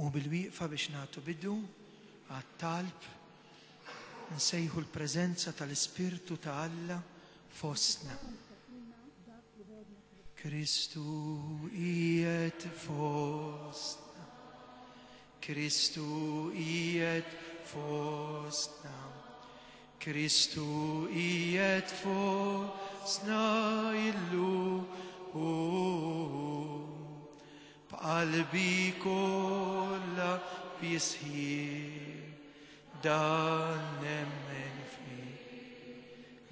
Nqumu bil-wieqfa biex nagħtu bidu għat-talb, nsejħu l-preżenza tal-Ispirtu ta' Alla fostna. Kristu qiegħed fostna. Kristu qiegħed fostna. Kristu qiegħed fostna illum. B'qalbi kollha bi sħiħ dan nemmen fih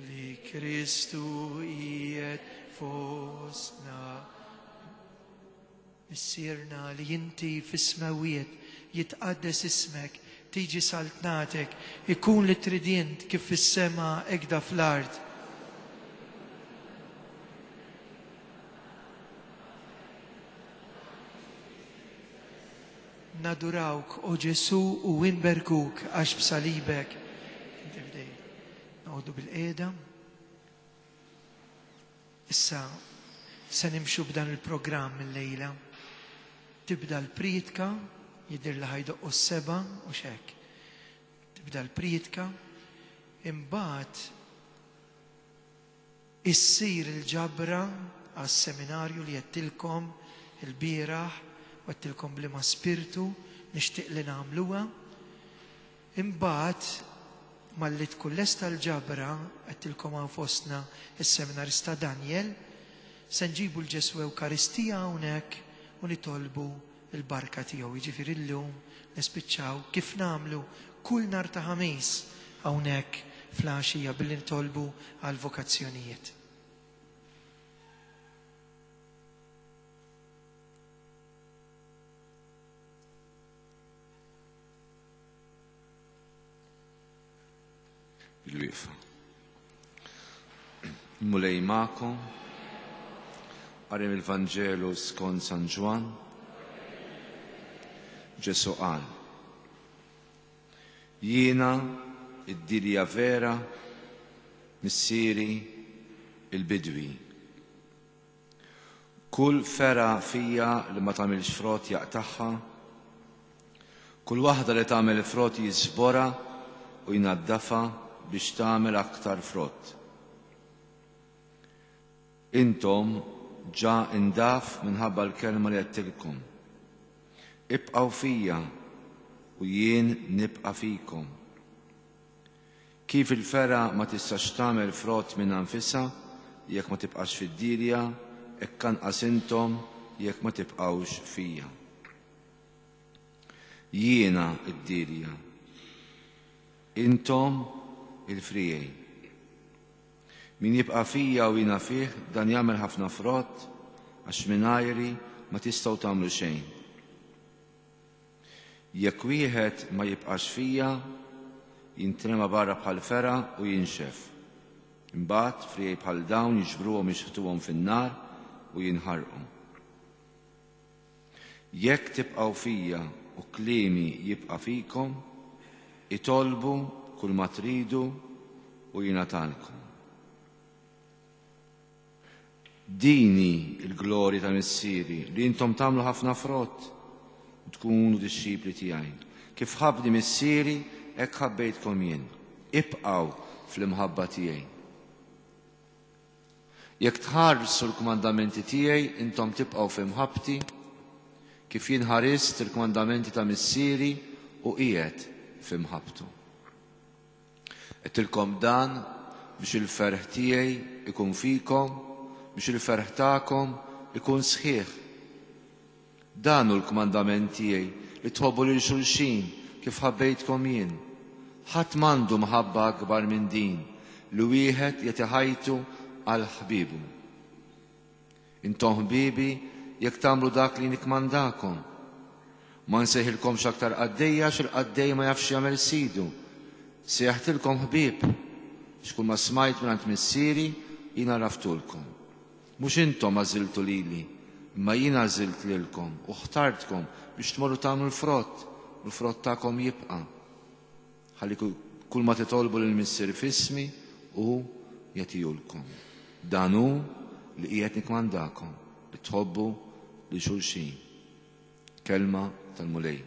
li Kristu qiegħed fostna. Missierna li inti fis-smewwiet, jitqaddes ismek, tiġi saltnatek, ikun li trid int kif fis-sema hekda fl-art. Nadurawk, o Ġesù, u inberkuk għax b'salibek inti fdejt. Noqogħdu bilqiegħda. Issa se nimxu b'dan il-programm illejla. Tibda l-priedka, jidhir li ħa jdoqqu s-sebgħa u x'hekk. Tibda l-priedka, imbagħad Issir il-ġabra għas-seminarju li għedtilkom ilbieraħ u għedtilkom b'liema spirtu nixtieq li nagħmluha. Imbagħad malli tkun lesta l-ġabra, għedtilkom hawn fostna s-seminarista Daniel, se nġibu 'l Ġesù Ewkaristija hawnhekk u nitolbu l-barka tiegħu. Jiġifieri llum nispiċċaw kif nagħmlu kull nhar ta' Ħamis hawnhekk fl-għaxija billi nitolbu għall-vokazzjonijiet. Bil-wieqfa. Il-Mulej magħkom. Qari mill-Vanġelu skont San Ġwann. Ġesù qal, Jiena d-dielja vera, Missieri il-bidwi. Kull fergħa fija li ma tagħmilx frott jaqtagħha, kull waħda li tagħmel frott jiżborha u jnaddafha biex tagħmel aktar frott. Intom ġa indaf minħabba l-kelma li għedtilkom. Ibqgħu fija u jien nibqa' fikom. Kif il-fergħa ma tistax tagħmel frott minnha nfisha jekk ma tibqax fid-dielja, hekk anqas intom jekk ma tibqgħux fija. Jiena d-dielja, intom il-friegħi. Min jibqa' fija u jiena fih, dan jagħmel ħafna frott, għax mingħajri ma tistgħu tagħmlu xejn. Jekk wieħed ma jibqax fija, jintrema barra bħal fergħa u jinxef. Imbagħad friegħi bħal dawn jiġbruhom jixħtuhom fin-nar u jinħarqu. Jekk tibqgħu fija u kliemi jibqa' fikom, itolbu kull ma tridu u jingħatalkom. Din hi l-glorja ta' Missieri, li intom tagħmlu ħafna frott u tkunu dixxipli tiegħi. Kif ħabbni Missieri, hekk ħabbejtkom jien. Ibqgħu fl-imħabba tiegħi. Jekk tħarsu l-kmandamenti tiegħi, intom tibqgħu fi mħabbti, kif jien ħarist il-kmandamenti ta' Missieri u qiegħed fi mħabbtu. Għedtilkom dan biex il-ferħ tiegħi ikun fikom, biex il-ferħ tagħkom ikun sħiħ. Dan hu l-kmandament tiegħi, li tħobbu lil xulxin kif ħabbejtkom jien. Ħadd m'għandu mħabba akbar minn din, li wieħed jagħti ħajtu għal ħbiebu. Intom ħbiebi jekk tagħmlu dak li nikkmandakom. Ma nsejħilkomx aktar qaddejja għax il-qaddej ma jafx x'jagħmel sidu. Sejjaħtilkom ħbieb, għax kull ma smajt mingħand Missieri jien għarraftulkom. Mhux intom għażiltu lili, imma jien għażilt lilkom u ħtartkom biex tmorru tagħmlu l-frott u l-frott tagħkom jibqa'. Ħalli kull ma titolbu lill-Missier f'ismi, hu jagħtihulkom. Dan hu li qiegħed nikkmandakom, li tħobbu lil xulxin. Kelma tal-Mulej.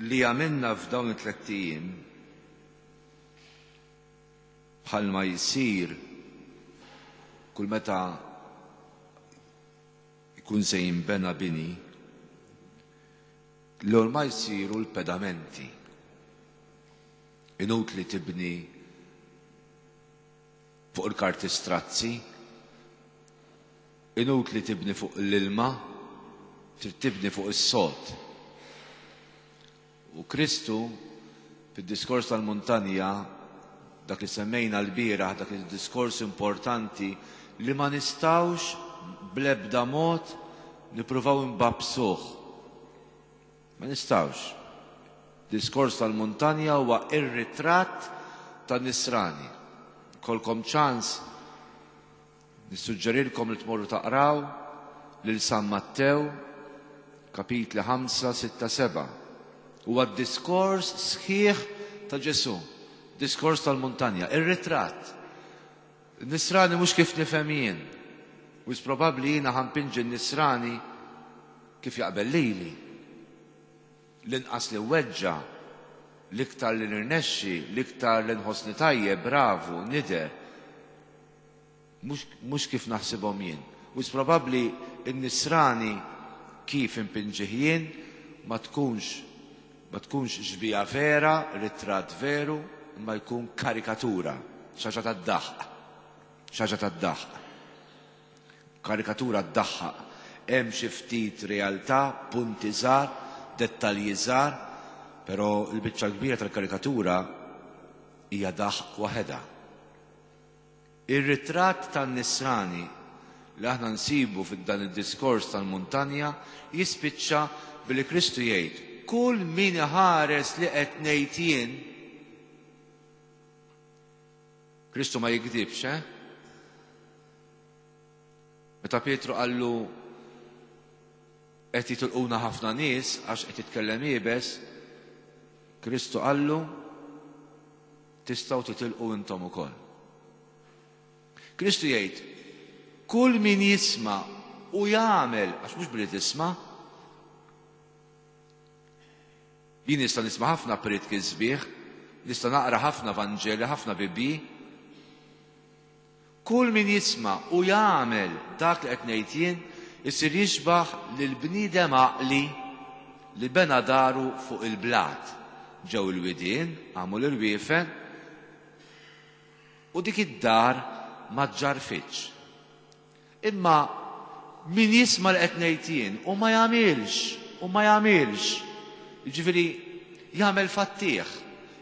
Li għamilna f'dawn it-tlett ijiem bħalma jsir kull meta jkun se jinbena bini, l-ewwel ma jsiru l-pedamenti. Inutli tibni fuq il-karti strazzi, inutli tibni fuq l-ilma, trid tibni fuq is-sod. U Kristu fid-diskors tal-muntanja, dak li semmejna l-bieraħ, dak il-diskors importanti li ma nistgħux bl-ebda mod nippruvaw inbagħbsuh. Ma nistgħux. Diskors tal-muntanja huwa ir-ritratt tan-nisrani. Kolkom ċans nissuġġerilkom li tmorru taqraw lil San Mattew kapitli 5, 6, 7. Huwa d-diskors sħiħ ta' Ġesù, diskors tal-muntanja, ir-ritratt. Nisrani mhux kif nifhem jien. Wis probabbli jiena ħa npinġi n-nisrani kif jaqbel lili. L-inqas li weġġa, l-iktar li nirnexxi, l-iktar li nħossni tajjeb, bravu, nidher. Mhux kif naħsibhom jien. Wis probabbli n-nisrani kif impinġih jien ma tkunx ma tkunx xbieha vera, ritratt veru, imma jkun karikatura, xi ħaġa tad-daħq. Xi ħaġa tad-daħq. Karikatura ddaħħaq. Hemm xi ftit realtà, punti żgħar, dettalji żgħar, però l-biċċa l-kbira tal-karikatura hija daħq waħedha. Ir-ritratt tan-nisrani li aħna nsibu f'dan id-diskors tal-muntanja jispiċċa billi Kristu jgħid, kull min iħares li qed ngħid jien, Kristu ma jigdibx, eh? Meta Pietru qallu qed jitilquna ħafna nies għax qed jitkellem iebes, Kristu qallu tistgħu titilqu intom ukoll. Kristu jgħid, kull min jisma' u jagħmel, għax mhux billi tisma', jien nista' nisma' ħafna prietki sbieħ, nista' naqra ħafna Vanġeli, ħafna Bibbji. Kull min jisma' u jagħmel dak li qed ngħid jien, isir jixbah lil bniedem għaqli li bena daru fuq il-blat. Ġew il-widien, qamu l-irwiefen, u dik id-dar ma ġġarfitx. Imma min jisma' li qed ngħid jien u ma jagħmilx, u ma jagħmilx, jiġifieri jagħmel fattih,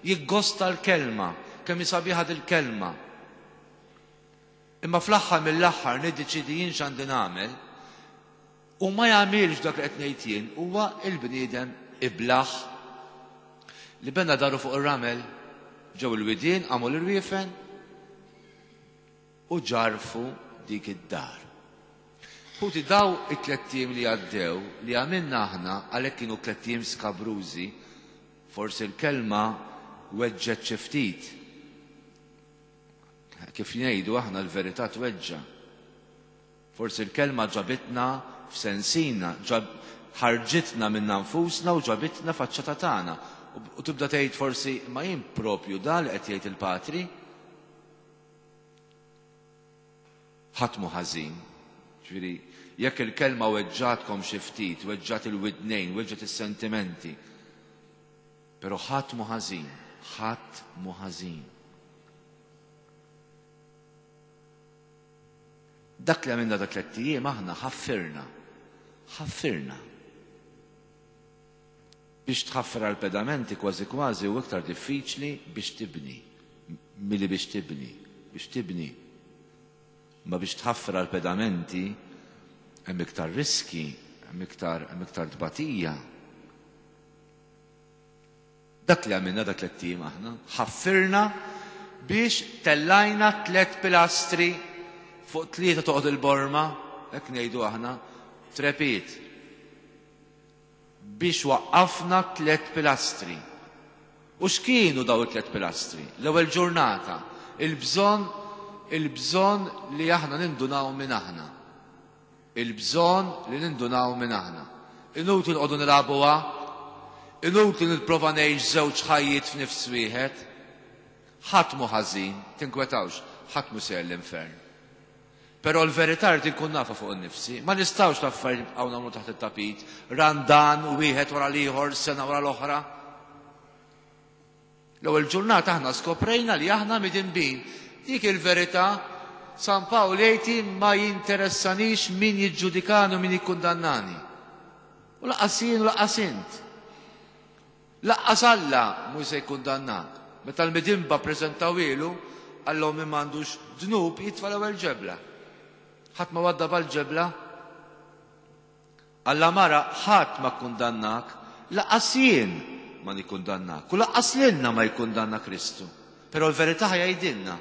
jiggosta l-kelma, kemm hi sabiħa dil-kelma. Imma fl-aħħar mill-aħħar niddeċiedi jien x'għandi nagħmel u ma jagħmilx dak li qed ngħid jien huwa l-bniedem iblah li bena daru fuq ir-ramel ġew il-widien qamu l-irwiefen u ġarfu dik id-dar. Ħuti daw it-tlett ijiem li għaddew li għamilna aħna għalhekk kienu tlett ijiem skabrużi, forsi l-kelma weġġgħet xi ftit. Kif ngħidu aħna l-verità tweġġa'. Forsi l-kelma ġabitna f'sensina, ħarġitna minna nfusna u ġabitna faċċata tagħna. U tibda tgħid forsi ma jien propju dan li qed jgħid il-Patri. Ħadd mhu ħażin. Ġifieri, jekk il-kelma weġġgħatkom xi ftit, weġġgħat il-widnejn, weġġgħet is-sentimenti, però ħadd mhu ħażin, ħadd mhu ħażin. Dak li għamilna dak tlett ijiem aħna ħaffirna. Ħaffirna. Biex tħaffer għal pedamenti kważi kważi u iktar diffiċli biex tibni. Milli biex tibni. Biex tibni. Ma biex tħaffer għal pedamenti hemm iktar riski, hemm iktar hemm iktar tbatija. Dak li għamilna dak tlett ijiem aħna, ħaffirna biex tellajna tliet pilastri fuq tlieta toqgħod il-borma, hekk ngħidu aħna, trepid. Biex waqqafna tliet pilastri. U x'kienu daw it-tliet pilastri? L-ewwel ġurnata, il-bżonn il-bżonn li aħna nindunaw minn aħna. Il-bżonn li nindunaw minn aħna. Inutli nqogħdu nilagħbuha. Inutli nipprova ngħix żewġ ħajjiet f'nifs wieħed. Ħadd mhu ħażin, tinkwetawx, ħadd mhu sejjer l-infern. Però l-verità rrid inkun nafha fuq innifsi. Ma nistgħux l-affarijiet nibqgħu nagħmlu taħt it-tapit, Randan wieħed wara l-ieħor, sena wara l-oħra. L-ewwel ġurnata aħna skoprejna li aħna midinbin. Dik il-verità San Pawl jgħid ma jinteressanix min jiġġudikani u min jikkundannani. U laqqas jien u laqqas int. Laqqas Alla mhu se jikkundannak. Meta l-midinba ppreżentawhielu, qallhom min m'għandux dnub jitfa' l-ewwel ġebla. Ħadd ma waddab għall-ġebla. Alla mara ħadd ma kkundannak, laqqas jien ma nikkundannak, u laqqas lilna ma jikkundanna Kristu. Però l-verità ħa jgħidilna.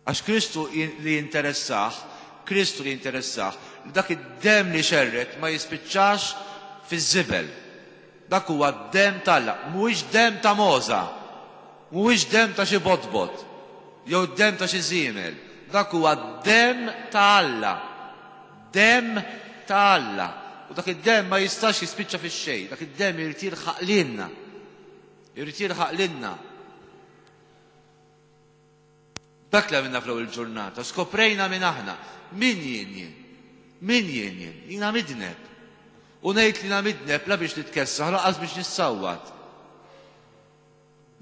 Għax Kristu li jinteressah, Kristu li jinteressah, li dak id-demm li xerred ma jispiċċax fiż-żibel. Dak huwa d-demm t'Alla, mhuwiex demm ta' mogħża, mhuwiex demm ta' xi botbot, jew demm ta' xi żiemel. Dak huwa d-demm ta' Alla. Demm ta' Alla. U dak id-demm ma jistax jispiċċa fix-xejn, dak id-demm irid jilħaq lilna. Irid jilħaq lilna. Dak li għamilna fl-ewwel ġurnata, skoprejna min aħna. Min jien jien? Min jien jien? Jiena midneb. U ngħid li jiena midneb la biex nitkessaħ lanqas biex nissawwat.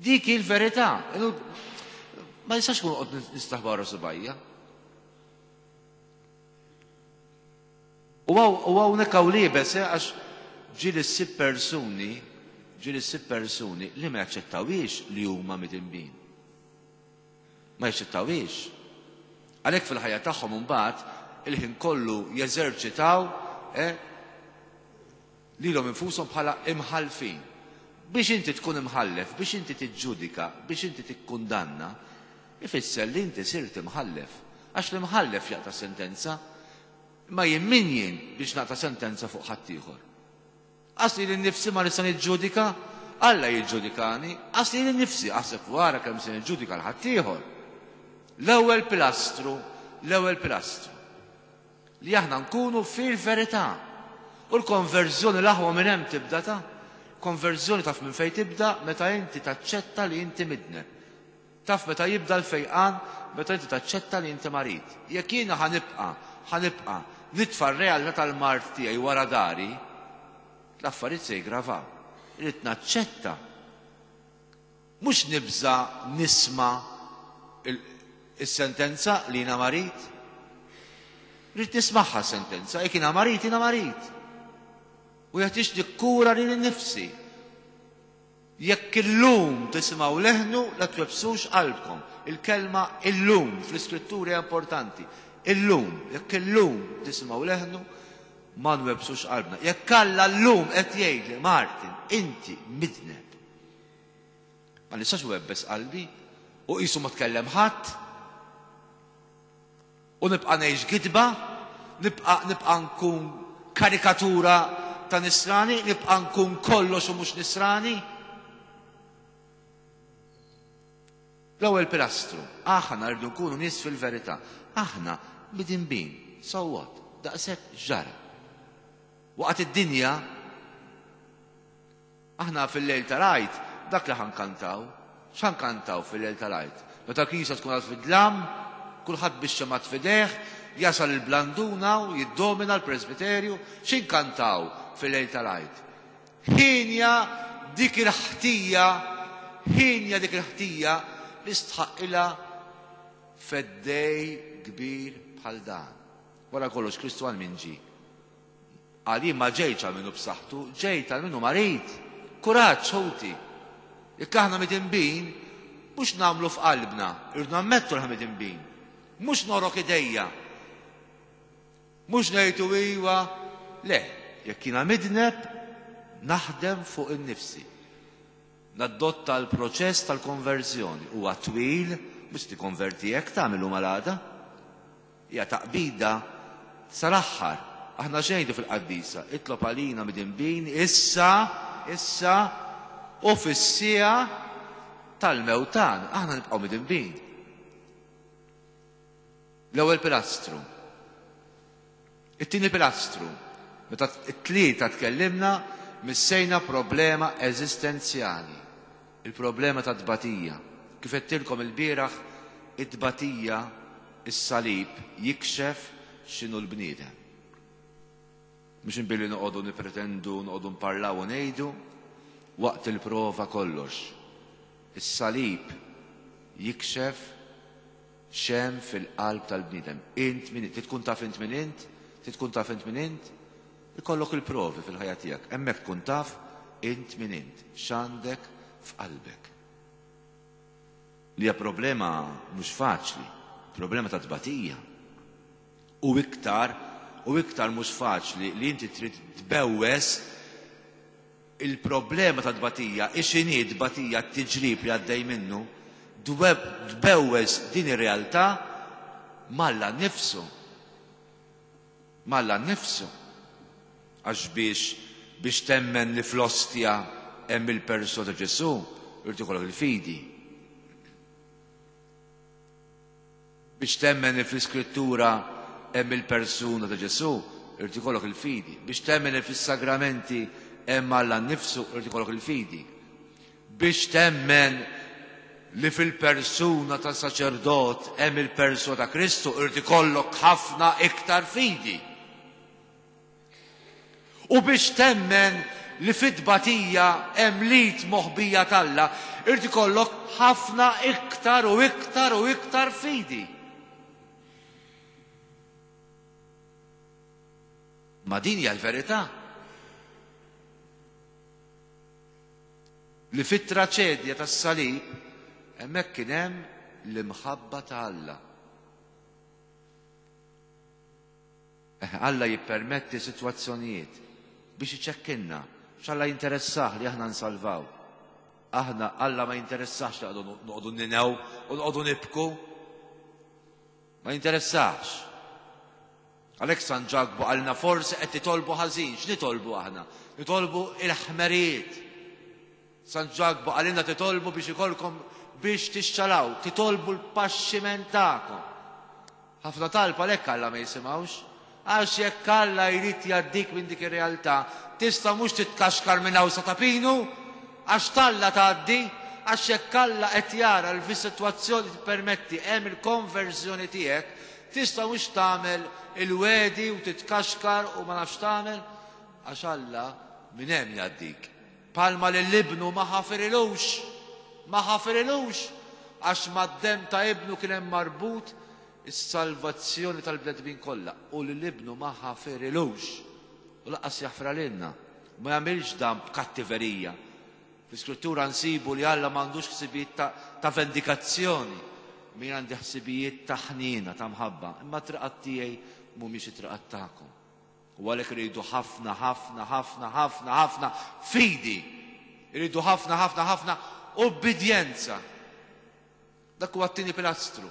Dik hi l-verità. Ma nistax nkun qod nistaħba wara subajja. U hawnhekk hawn liebes eh, għax ġieli ssib persuni, ġieli ssib persuni li ma jaċċettawhiex li huma midinbin. Ma jaċċettawhiex. Għalhekk fil-ħajja tagħhom imbagħad il-ħin kollu jeżerċitaw eh, lilhom infushom bħala imħallfin. Biex inti tkun imħallef, biex inti tiġġudika, biex inti tikkundanna, ifisser li inti sirt imħallef. Għax l-imħallef jaqta' sentenza, imma jien min jien biex naqta' sentenza fuq ħaddieħor? Qas lili nnifsi ma nista' niġġudika, Alla jiġġudikani, qas lili nnifsi, aħseb u ara kemm se niġġudika 'l ħaddieħor. L-ewwel pilastru, l-ewwel pilastru. Li aħna nkunu fil-verità. U l-konverżjoni l-aħwa minn hemm tibda ta' konverżjoni taf minn fejn tibda meta inti taċċetta li inti midneb. Taf meta jibda l-fejqan meta inti taċċetta li inti marid. Jekk jiena ħa nibqa' ħa nibqa' nitfa' r-realtà tal-mard tiegħi wara dari, l-affarijiet se jiggravaw. Irrid naċċetta. Mhux nibża' nisma' is-sentenza li jiena marid. Rrid nismagħha s-sentenza, jekk jiena marid, jiena marid. U jeħtieġ nikkura lili nnifsi. Jekk illum tisimgħu leħnu, la twebbsux qalbkom. Il-kelma illum fl-Iskrittura hija importanti. Illum, jekk illum tisimgħu leħnu, ma nwebbsux qalbna. Jekk Alla llum qed jgħidli, Martin, inti midneb. Ma nistax webbes qalbi u qisu ma tkellem ħadd. U nibqa' ngħix gidba, nibqa' nibqa' nkun karikatura ta' nisrani, nibqa' nkun kollox u mhux nisrani. L-ewwel pilastru, aħna rridu nkunu nies fil-verità. Aħna midinbin, so what? Daqshekk ġara. Waqgħet id-dinja Aħna fil-lejl tal-Għid dak li ħa nkantaw. X'ħa nkantaw fil-lejl tal-Għid? Meta l-knisja tkun għad fid-dlam, kulħadd bix-xemgħat f'idejh, jasal il-blanduna u jiddomina l-presbiterju, x'inkantaw fil-lejl tal-Għid? Hienja dik il-ħtija, hienja dik il-ħtija li stħaqqilha feddej kbir bħal dan. Wara kollox Kristu għal min ġie? Qal, Jien ma ġejtx għal min hu b'saħħtu, ġejt għal min hu marid. Kuraġġ, ħuti! Jekk aħna midinbin, mhux nagħmlu f'qalbna, irridu nammettu li aħna midinbin. Mhux norok idejja. Mhux ngħidu iwa, le, jekk jiena midneb, naħdem fuq innifsi. Nadotta l-proċess tal-konverżjoni. Huwa twil, mhux tikkonverti hekk tagħmel illum għal għada. Hija taqbida sal-aħħar. Aħna x'ngħidu fil-qaddisa? Itlob għalina midinbin issa, issa u fis-siegħa tal-mewt tagħna. Aħna nibqgħu midinbin. L-ewwel pilastru. It-tieni pilastru. Meta t-tlieta tkellimna, missejna problema eżistenzjali, il-problema tat-tbatija. Kif għedtilkom ilbieraħ, it-tbatija, is-salib jikxef x'inhu l-bniedem. Mhux billi noqogħdu nippretendu, noqogħdu nparlaw u ngħidu, waqt il-prova kollox. Is-salib jikxef x'hemm fil-qalb tal-bniedem. Int min int, tkun taf int min int, tkun taf int min int, ikollok il-provi fil-ħajja tiegħek. Hemmhekk tkun taf int min int, x'għandek f'qalbek. Li hija problema mhux faċli, problema ta' tbatija. U iktar, u iktar mhux faċli li inti trid tbewwes il-problema ta' tbatija, x'inhi tbatija t-tiġrib li għaddej minnu, tbewwes din ir-realtà m'Alla nnifsu. M'Alla nnifsu. Għax biex biex temmen li fl-ostja hemm il-persuna ta' Ġesù, irid ikollok il-fidi. Biex temmen li fl-Iskrittura hemm il-persuna ta' Ġesù, irid ikollok il-fidi. Biex temmen li fis-sagramenti hemm Alla nnifsu, irid ikollok il-fidi. Biex temmen li fil-persuna ta' saċerdot hemm il-persuna ta' Kristu, irid ikollok ħafna iktar fidi. U biex temmen li fit-tbatija hemm l-id moħbija t'Alla, irid ikollok ħafna iktar u iktar u iktar fidi. Ma din hija l-verità. Li fit-traċedja tas-salib hemmhekk kien hemm l-imħabba ta' Alla. Eħe, Alla jippermetti sitwazzjonijiet biex iċekkinna, għax Alla jinteressah li aħna nsalvaw. Aħna, Alla ma jinteressahx li noqogħdu ninew u noqogħdu nibku. Ma jinteressahx. Għalhekk San Ġakbu qalilna forsi qed titolbu ħażin, x'nitolbu aħna? Nitolbu il-ħmerijiet. San Ġakbu qalilna titolbu biex ikolkom biex tixxalaw, titolbu l-paxximent tagħkom. Ħafna talb għalhekk Alla ma jisimgħux. Għax jekk Alla jrid jgħaddik minn dik ir-realtà, tista' mhux titkaxkar minn hawn sa ta' Pinu, għax t'Alla tgħaddi, għax jekk Alla qed jara li fis-sitwazzjoni tippermetti hemm il-konverżjoni tiegħek, tista' mhux tagħmel il-wegħdi u titkaxkar u ma nafx tagħmel, għax Alla minn hemm jgħaddik. Bħalma lil ibnu ma ħafirilux, ma ħafirilux, għax mad-demm ta' ibnu kien hemm marbut is-salvazzjoni tal-bnedmin kollha, u lil ibnu ma ħafirilux, u lanqas jaħfirha lilna. Ma jagħmilx dan b'kattiverija. Fl-Iskrittura nsibu li Alla m'għandux ħsibijiet ta', ta' vendikazzjoni, imma jien għandi ħsibijiet ta' ħniena, ta' mħabba, imma t-triqat tiegħi mhumiex it-triqat tagħkom. U għalhekk irridu ħafna, ħafna, ħafna, ħafna, ħafna fidi. Irridu ħafna, ħafna, ħafna ubbidjenza. Dak huwa t-tieni pilastru.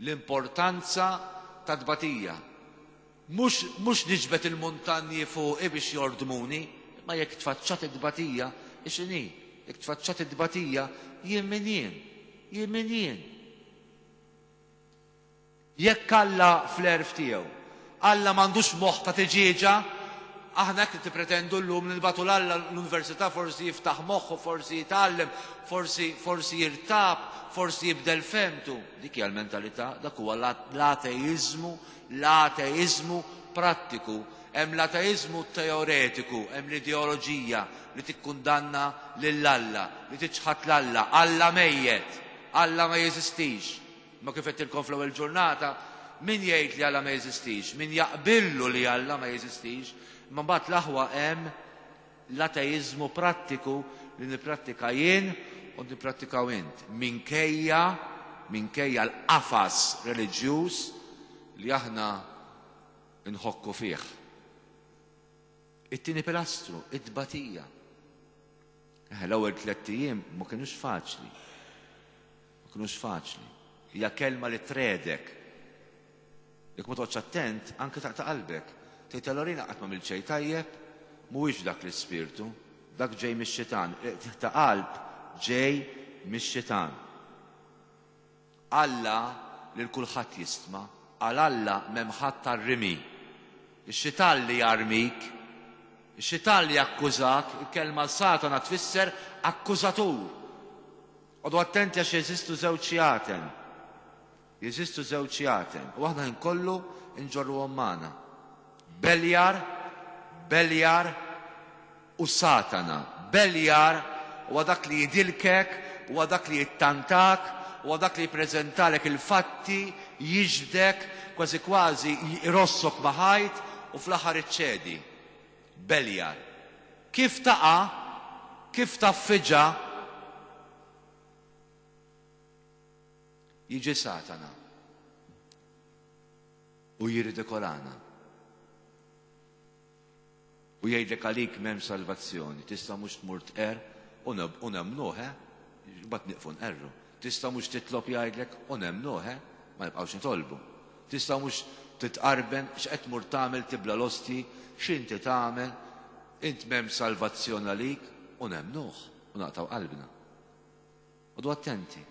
L-importanza ta' tbatija. Mhux mhux niġbed il-muntanji fuqi biex jordmuni, imma jekk tfaċċat it-tbatija, x'inhi? Jekk tfaċċat it-tbatija, jien min jien? Jien min jien? Jekk Alla fl-għerf tiegħu, Alla m'għandux moħħ ta' tiġieġa, aħna hekk nippretendu llum li nibagħtu 'l Alla l-università forsi jiftaħ moħħu, forsi jitgħallem, forsi forsi jirtab, forsi jibdel fehmtu. Dik hija l-mentalità, dak huwa l-ateiżmu, l-ateiżmu prattiku. Hemm l-ateiżmu teoretiku, hemm l-ideoloġija li tikkundanna lil Alla, li tiċħad 'l Alla, Alla mejjet, Alla ma jeżistix. Imma kif għedtilkom fl-ewwel ġurnata, min jgħid li Alla ma jeżistix, min jaqbillu li Alla ma jeżistix, imma mbagħad l-aħwa hemm l-ateiżmu prattiku li nipprattika jien u nipprattikaw int, minkejja minkejja l-qafas reliġjuż li aħna nħokku fih. It-tieni pilastru, it-tbatija. L-ewwel tlett ijiem ma kinux faċli. Ma kinux faċli. Hija kelma li tredek. Jekk ma toqgħodx attent, anke taqta' qalbek. Tgħid allura jiena qatt m'għamilt xejn tajjeb, mhuwiex dak l-ispirtu, dak ġej mix-xitan. Il-qtigħ ta' qalb ġej mix-xitan. Alla lil kulħadd jistma', għal Alla m'hemm ħadd għar-rimi. Ix-xitan li jarmik. Ix-xitan li jakkużak, il-kelma Satana tfisser akkużatur. Oqogħdu attenti għax jeżistu żewġ xjaten. Jeżistu żewġ xjaten u aħna ħin kollu nġorruhom magħna. Beljar, Beljar u Satana. Beljar huwa dak li jidilkek, huwa dak li jittantak, huwa dak li jippreżentalek il-fatti, jiġbdek, kważi kważi jrossok ma' ħajt u fl-aħħar iċċedi. Beljar. Kif taqa', kif taffiġa, jiġi Satana u jirridikolana. U jgħidlek għalik m'hemmx salvazzjoni, tista' mhux tmur tqerr u nemmnuh, eh? Imbagħad nieqfu nqerru. Tista' mhux titlob jgħidlek u nemmnuh, eh? Ma nibqgħux nitolbu. Tista' mhux titqarben, x'qed tmur tagħmel tibla l-ostji, x'inti tagħmel, int m'hemmx salvazzjoni għalik u nemmnuh u naqtgħu qalbna. Oqogħdu attenti.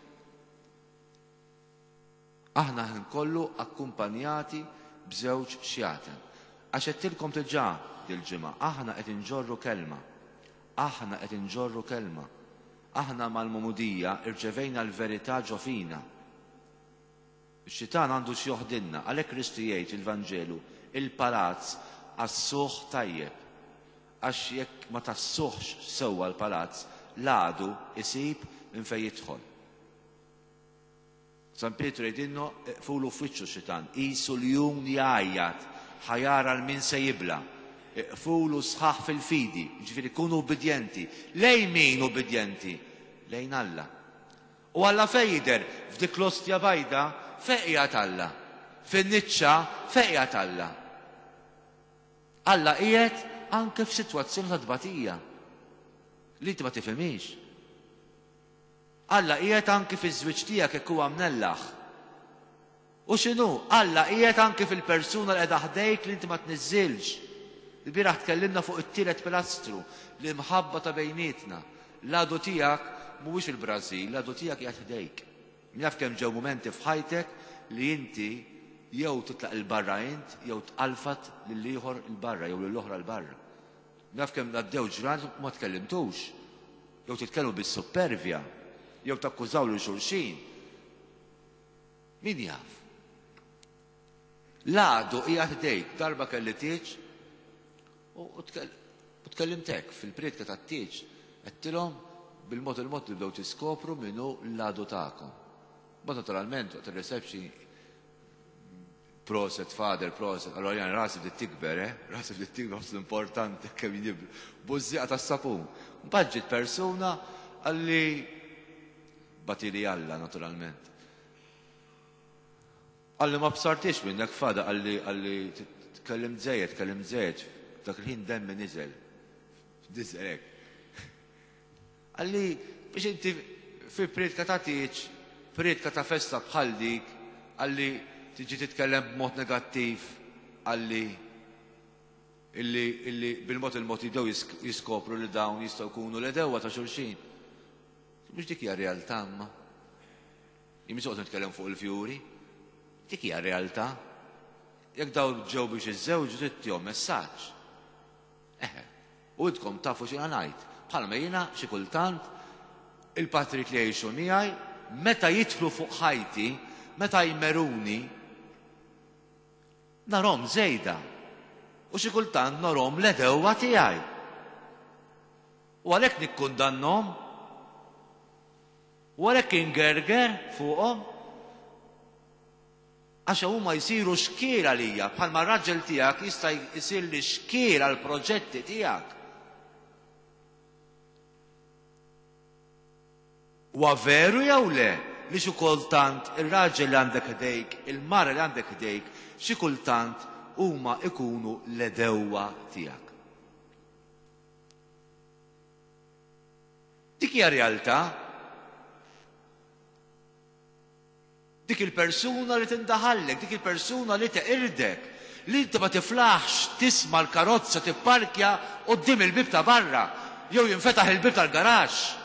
Aħna ħin kollu akkumpanjati b'żewġ xjaten. Għax għedtilkom diġà dil-ġimgħa, aħna qed inġorru kelma. Aħna qed inġorru kelma. Aħna mal-magħmudija rċevejna l-verità ġo fina. Ix-xitan għandu x'joħdilna, għalhekk Kristu jgħid fil-Vanġelu, il-palazz għassuh tajjeb. Għax jekk ma tgħassuhx sewwa l-palazz, l-għadu jsib minn fejn jidħol. San Pietru jgħidilna iqfulu f'wiċċu x-xitan, qisu ljun jgħajjat, ħa jara 'l min se jibla'. Iqfulu sħaħ fil-fidi, jiġifieri kunu ubbidjenti. Lejn min ubbidjenti? Lejn Alla. U Alla fejn jidher? F'dik l-ostja bajda, fejn qiegħed Alla? Fin-niċċa, fejn qiegħed Alla? Alla qiegħed anke f'sitwazzjoni ta' tbatija li inti ma tifhimhiex. Alla qiegħed anki fiż-żwieġ tiegħek jekk huwa mnellaħ. U x'inhu? Alla qiegħed anki fil-persuna li qiegħda ħdejk li inti ma tniżżilx. Ilbieraħ tkellimna fuq it-tielet pilastru, l-imħabba ta' bejnietna. L-għadu tiegħek mhuwiex il-Brażil, l-għadu tiegħek qiegħed ħdejk. Min jaf kemm ġew mumenti f'ħajtek li inti jew titlaq 'il barra int jew tqalfat lill-ieħor 'il barra jew lill-oħra 'l barra. Min jaf kemm għaddew ġranet u ma tkellimtux. Jew titkellmu bis-suppervja, jew takkużaw lil xulxin. Min jaf? L-għadu qiegħed ħdejk, darba kelli tieġ u tkellimt hekk fil-prietka tat-tieġ, għedtilhom bil-mod il-mod tibdew tiskopru min hu l-għadu tagħkom. Mbagħad naturalment waqt ir-reception Proset father, proset. Allora jien rasi bdiet tikber, eh? Rasi bdiet tikber, ħoss importanti kemm jien bużżieqa tas-sapun. Mbagħad ġiet persuna qalli batili Alla naturalment. Qalli ma bsartix minnek fada, qalli qalli tkellimt żejjed, tkellimt żejjed. Dak il-ħin demmi niżel. Niżel hekk. Qalli, biex inti fi prietka ta' tieġ, prietka ta' festa bħal dik, qalli tiġi titkellem b'mod negattiv, qalli illi, illi bil-mod il-mod jibdew jiskopru li dawn jistgħu jkunu l-għedewwa ta' xulxin. Mhux dik hija realtà imma. Jien mhux nitkellem fuq il-fjuri. Dik hija realtà. Jekk dawn ġew biex iżżewġu trid tihom messaġġ. Eħe. U intkom tafu x'jiena ngħid. Bħalma jiena xi kultant il-patrijiet li jgħixu miegħi meta jidħlu fuq ħajti, meta jmeruni, narhom żejda. U xi kultant narhom l-għedewwa tiegħi. U għalhekk nikkundannhom. U għalhekk ingerger fuqhom. Għax huma jsiru xkiel għalija, bħalma r-raġel tiegħek jista' jsirli xkiel għall-proġetti tiegħek. Huwa veru jew le li xi kultant ir-raġel li għandek ħdejk, il-mara li għandek ħdejk, xi kultant huma jkunu l-għedewwa tiegħek? Dik hija realtà. Dik il-persuna li tindaħallek, dik il-persuna li teqirdek, li inti ma tiflaħx tisma' l-karozza tipparkja quddiem il-bieb ta' barra, jew jinfetaħ il-bieb tal-garaxx.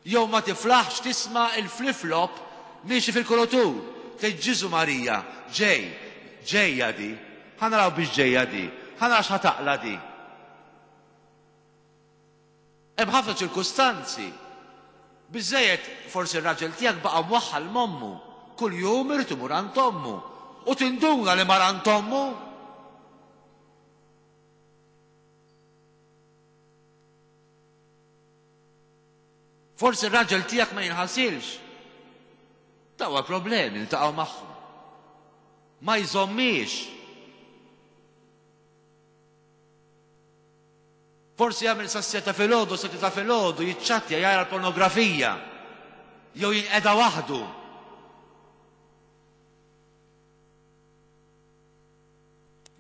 Jew ma tiflaħx tisma' l-flip-flop miexi fil-kurutur. Tgħid Ġiżu Marija, ġej, ġejja di, ħa naraw biex ġejja di, ħa nara x'ħa taqla' di. Hemm ħafna ċirkustanzi. Biżżejjed forsi r-raġel tiegħek baqa' mwaħħal m'ommu. Kuljum irid imur għand ommu. U tinduna li mar għand ommu. Forsi r-raġel tiegħek ma jinħasilx. Dawn problemi niltaqgħu magħhom. Ma jżommiex. Forsi jagħmel sas-siegħa ta' filgħodu, sette ta' filgħodu, jiċċattja, jara l-pornografija, jew jinqeda waħdu.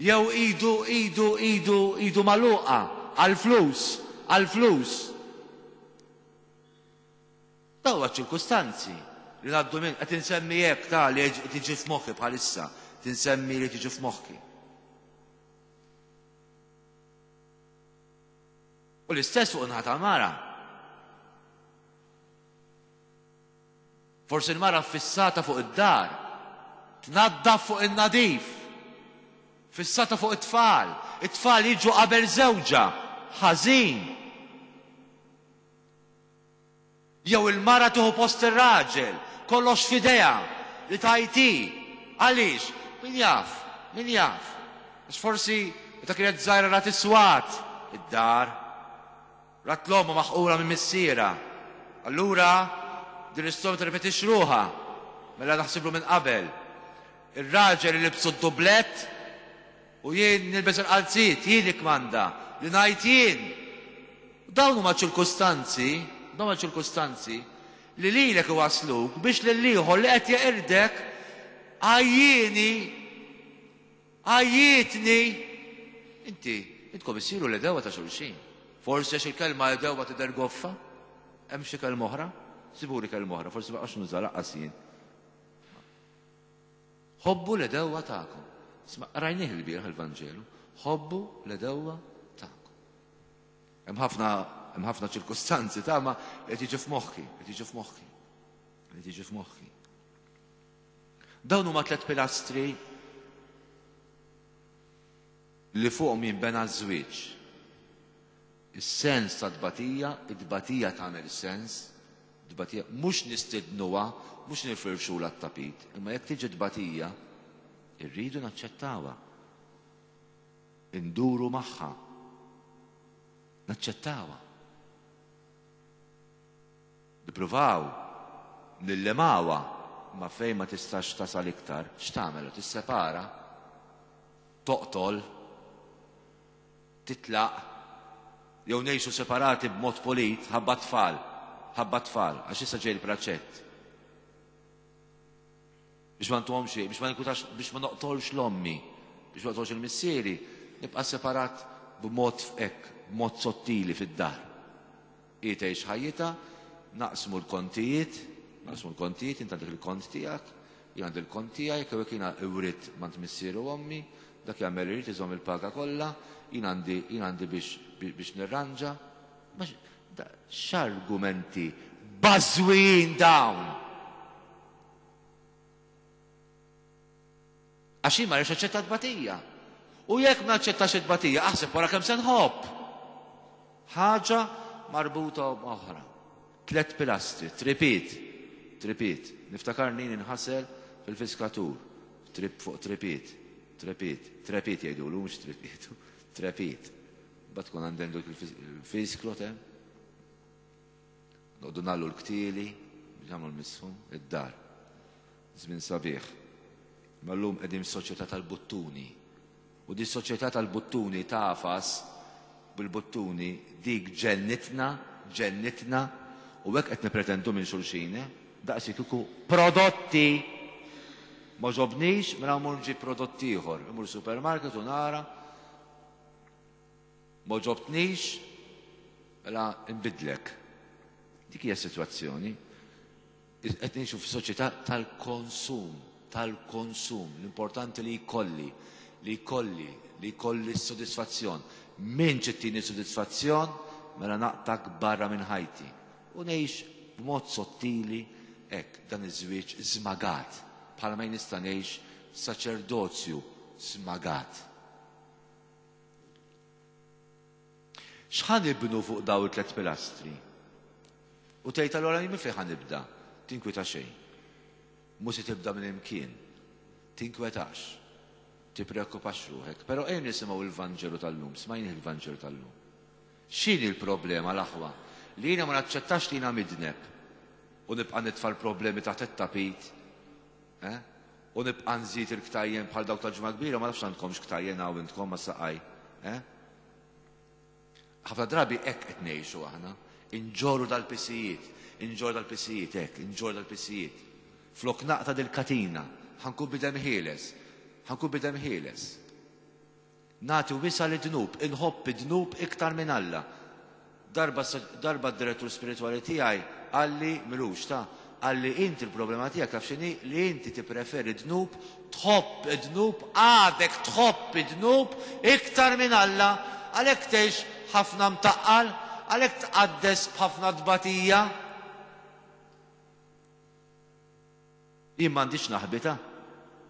Jew idu, idu, idu, idu magħluqa għall-flus, għall-flus. Dawn huma ċ-ċirkustanzi li ngħaddu minn qed insemmi hekk ta' li tiġi f'moħħi bħalissa, tinsemmi li tiġi f'moħħi. U l-istess fuq naħa tal-mara. Forsi l-mara fissata fuq id-dar, tnaddaf fuq in-nadif, fissata fuq it-tfal, it-tfal jiġu qabel żewġha, ħażin. Jew il-mara tieħu post ir-raġel, kollox f'idejha, li tgħid hi. Għaliex? Min jaf? Min jaf? Għax forsi meta kienet żgħira rat is-swat id-dar. Rat l-ommha maħqura minn missierha. Allura din l-istorja tirrepetix ruħha. Mela naħsiblu minn qabel. Ir-raġel ilibsu d-dublett u jien nilbes il-qalziet, jien nikkmanda, li ngħid jien. Dawn huma ċirkustanzi, dawn huma ċirkustanzi li lilek iwassluk biex lill-ieħor li qed jeqirdek għajjieni, għajjietni. Inti, intkom issiru l-għedewwa ta' xulxin. Forsi għax il-kelma għedewwa tidher goffa? Hemm xi kelma oħra? Sibuli kelma oħra, forsi ma nuża lanqas jien. Ħobbu l-għedewwa tagħkom. Isma' qrajnieh il-bieraħ il-Vanġelu. Ħobbu l-għedewwa tagħkom. Hemm ħafna hemm ħafna ċirkustanzi ta' ma qed jiġi f'moħħi, qed jiġi f'moħħi. Qed jiġi f'moħħi. Dawn huma tliet pilastri li fuqhom jinbena ż-żwieġ. Is-sens ta' tbatija, it-tbatija tagħmel sens, tbatija mhux nistidnuha, mhux nifirxulha t-tapit, imma jekk tiġi tbatija, irridu naċċettawha. Induru magħha. Naċċettawha. Nippruvaw nillimawha, imma fejn ma tistax tasal iktar, x'tagħmel? Tissepara? Toqtol? Titlaq? Jew ngħixu separati b'mod pulit ħabba t-tfal, ħabba t-tfal, għax issa ġej il-praċett. Biex ma ntuhomx, biex ma ninkwitax, biex ma noqtolx l-ommi, biex ma noqtolx il-missieri, nibqa' separat b'mod hekk, b'mod sottili fid-dar. Hi tgħix ħajjitha, naqsmu l-kontijiet, naqsmu l-kontijiet, int għandek il-kont tiegħek, jien għandi l-kont tiegħi, jekk hekk jiena writt m'għand missieri u ommi, dak jagħmel li jrid iżomm il-paga kollha, jien għandi jien għandi biex biex nirranġa. X'argumenti bażwijin dawn! Għax jien ma rridx naċċetta t-tbatija. U jekk ma naċċettax it-tbatija, aħseb wara kemm se nħobb. Ħaġa marbuta oħra. Tlet pilastri, tripit, tripit. Niftakarni ninħasel fil-fiskatur, trip fuq tripit, trepit, trepit jgħidulu, mhux tripit, trepit. Bat tkun għandem dik il-fisklo tem. Noqogħdu nagħllu l-ktieli biex nagħmlu l-misħun, id-dar. Żmien sabiħ. Imma llum qegħdin f'soċjetà tal-buttuni. U di soċjetà tal-buttuni tagħfas bil-buttuni dik ġennitna, ġennitna, u hekk qed nippretendu minn xulxin, eh? Daqs kieku prodotti! M'għoġobnix, mela mmur nġib prodott ieħor. Immur supermarket u nara M'għoġobtnix, mela nbiddlek. Dik hija s-sitwazzjoni. Qed ngħixu f'soċjetà tal-konsum, tal-konsum. L-importanti li jkolli, li jkolli, li jkolli s-sodisfazzjon. Min ċittini sodisfazzjon, mela naqtak barra minn ħajti. U ngħix b'mod sottili hekk dan iż-żwieġ żmagat, bħalma jien nista' ngħix saċerdozju żmagat. X'ħa nibnu fuq dawn it-tlett pilastri? U tgħid allura jien minn fejn ħa nibda? Tinkwita xejn. Mhux se tibda minn imkien. Tinkwetax. Tippreokkupax ruħek. Però ejja nisimgħu l-Vanġelu tal-lum, smajnih il-Vanġelu tal-lum. X'inhi l-problema l-aħwa? Li jiena ma naċċettax li jiena midneb u nibqa' nitfa' l-problemi taħt it-tapit, eh? U nibqa' nżid il-ktajjen bħal dawk tal-Ġimgħa Kbira, ma nafx għandkomx ktajjen hawn intkom ma' saqaj, eh? Ħafna drabi hekk qed ngħixu aħna, inġorru dal-pisijiet, inġorru dal-pisijiet hekk, inġorru dal-pisijiet. Flok naqta' dil-katina, ħa nkun bidem ħieles, ħa nkun bidem ħieles. Nagħti wisa' lid-dnub, inħobb id-dnub iktar minn Alla. Darba darba d-direttur spiritwali tiegħi qalli, m'ilux ta, qalli inti l-problema tiegħek taf x'inhi? Li inti tippreferi d-dnub, tħobb id-dnub, għadek tħobb id-dnub iktar minn Alla, għalhekk tgħix ħafna mtaqqal, għalhekk tqaddes b'ħafna tbatija. Jien m'għandix naħbi ta'.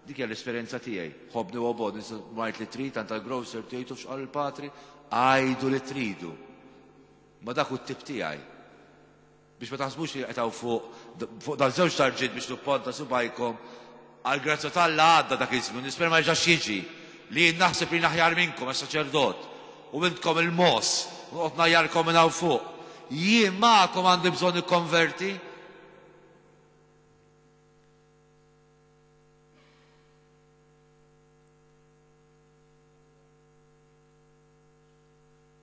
Dik hija l-esperjenza tiegħi. Ħobbni u obgħodni, ngħid li trid, għand tal-grocer tgħidu x'qal il-patri, għidu li tridu. Ma dak hu t-tip tiegħi. Biex ma taħsbux li qed hawn fuq fuq dal-żewġ tarġiet biex nipponta subgħajkom, għall-grazzja t'Alla għadda dak iż-żmien, nispera ma jerġax jiġi li jien naħseb li jien aħjar minnkom għax saċerdot u intkom il-mogħoż u noqgħod ngħajjarkom minn hawn fuq. Jien magħkom għandi bżonn nikkonverti.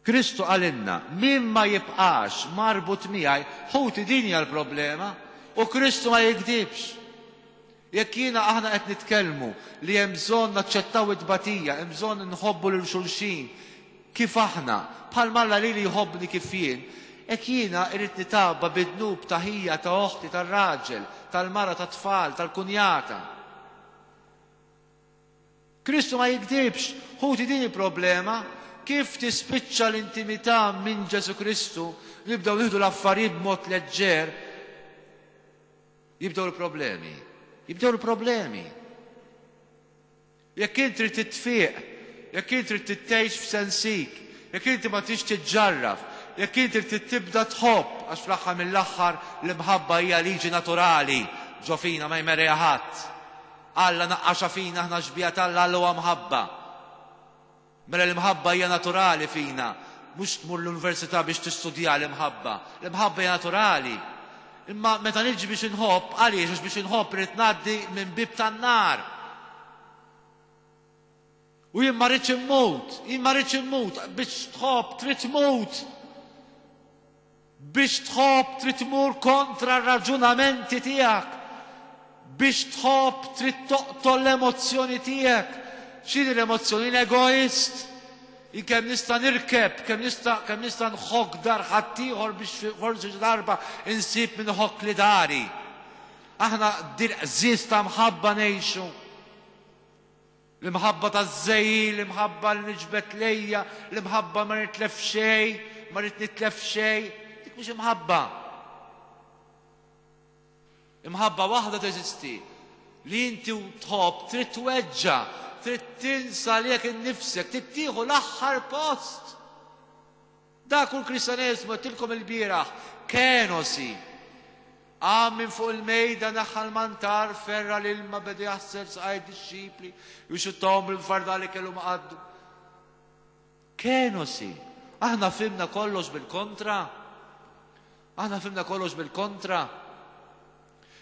Kristu qalilna, min ma jibqax marbut miegħi, ħuti din hija l-problema, u Kristu ma jigdibx. Jekk jiena aħna qed nitkellmu li hemm bżonn naċċettaw it-tbatija, hemm bżonn nħobbu lil xulxin, Kif aħna, bħalma Alla lili jħobbni kif jien, hekk jiena irrid nitgħabba bid-dnub ta' ħija, ta' oħti, tar-raġel, tal-mara, tat-tfal, tal-kunjata. Kristu ma jigdibx, ħuti din il-problema, kif tispiċċa l-intimità minn Ġesù Kristu, nibdew nieħdu l-affarijiet b'mod leġġer, jibdew il-problemi. Jibdew il-problemi. Jekk int trid titfieq, jekk int trid tgħix f'sensik, jekk inti ma tridx tiġġarraf, jekk inti trid tibda tħobb, għax fl-aħħar mill-aħħar l-imħabba hija liġi naturali ġo fina ma jmerriha ħadd. Alla naqqaxha fina aħna xbieha t'Alla, Alla huwa mħabba. Mela l-imħabba hija naturali fina, mhux tmur l-università biex tistudja l-imħabba. L-imħabba hija naturali. Imma meta niġi biex inħobb, għaliex? Għax biex inħobb irrid ngħaddi minn bieb tan-nar. U jien ma rridx immut, jien ma rridx immut, biex tħobb trid tmut. Biex tħobb trid tmur kontra r-raġunamenti tiegħek. Biex tħobb trid toqtol l-emozzjoni tiegħek. X'inhi l-emozzjoni? Jien egoist. Jien kemm nista' nirkeb, kemm nista' kemm nista' nħokk dar ħaddieħor biex forsi xi darba insib min iħokkli dari. Aħna dil-qżież ta' mħabba ngħixu. L-imħabba taż-żegħil, l-imħabba li niġbed lejja, l-imħabba ma nitlef xejn, ma rrid nitlef xejn, dik mhux imħabba. Imħabba waħda teżisti li inti tħobb trid tweġġa', trid tinsa lilek innifsek, trid tieħu l-aħħar post. Dak hu l-Kristjaneżmu, għedtilkom ilbieraħ, kenosi. Qam minn fuq il-mejda, neħħa l-mantar, ferra' l-ilma, beda jaħsel saqajh id-dixxipli, u jxuttahom bil-fardal li kellu ma' qaddu. Kenosi. Aħna fhimna kollox bil-kontra. Aħna fhimna kollox bil-kontra.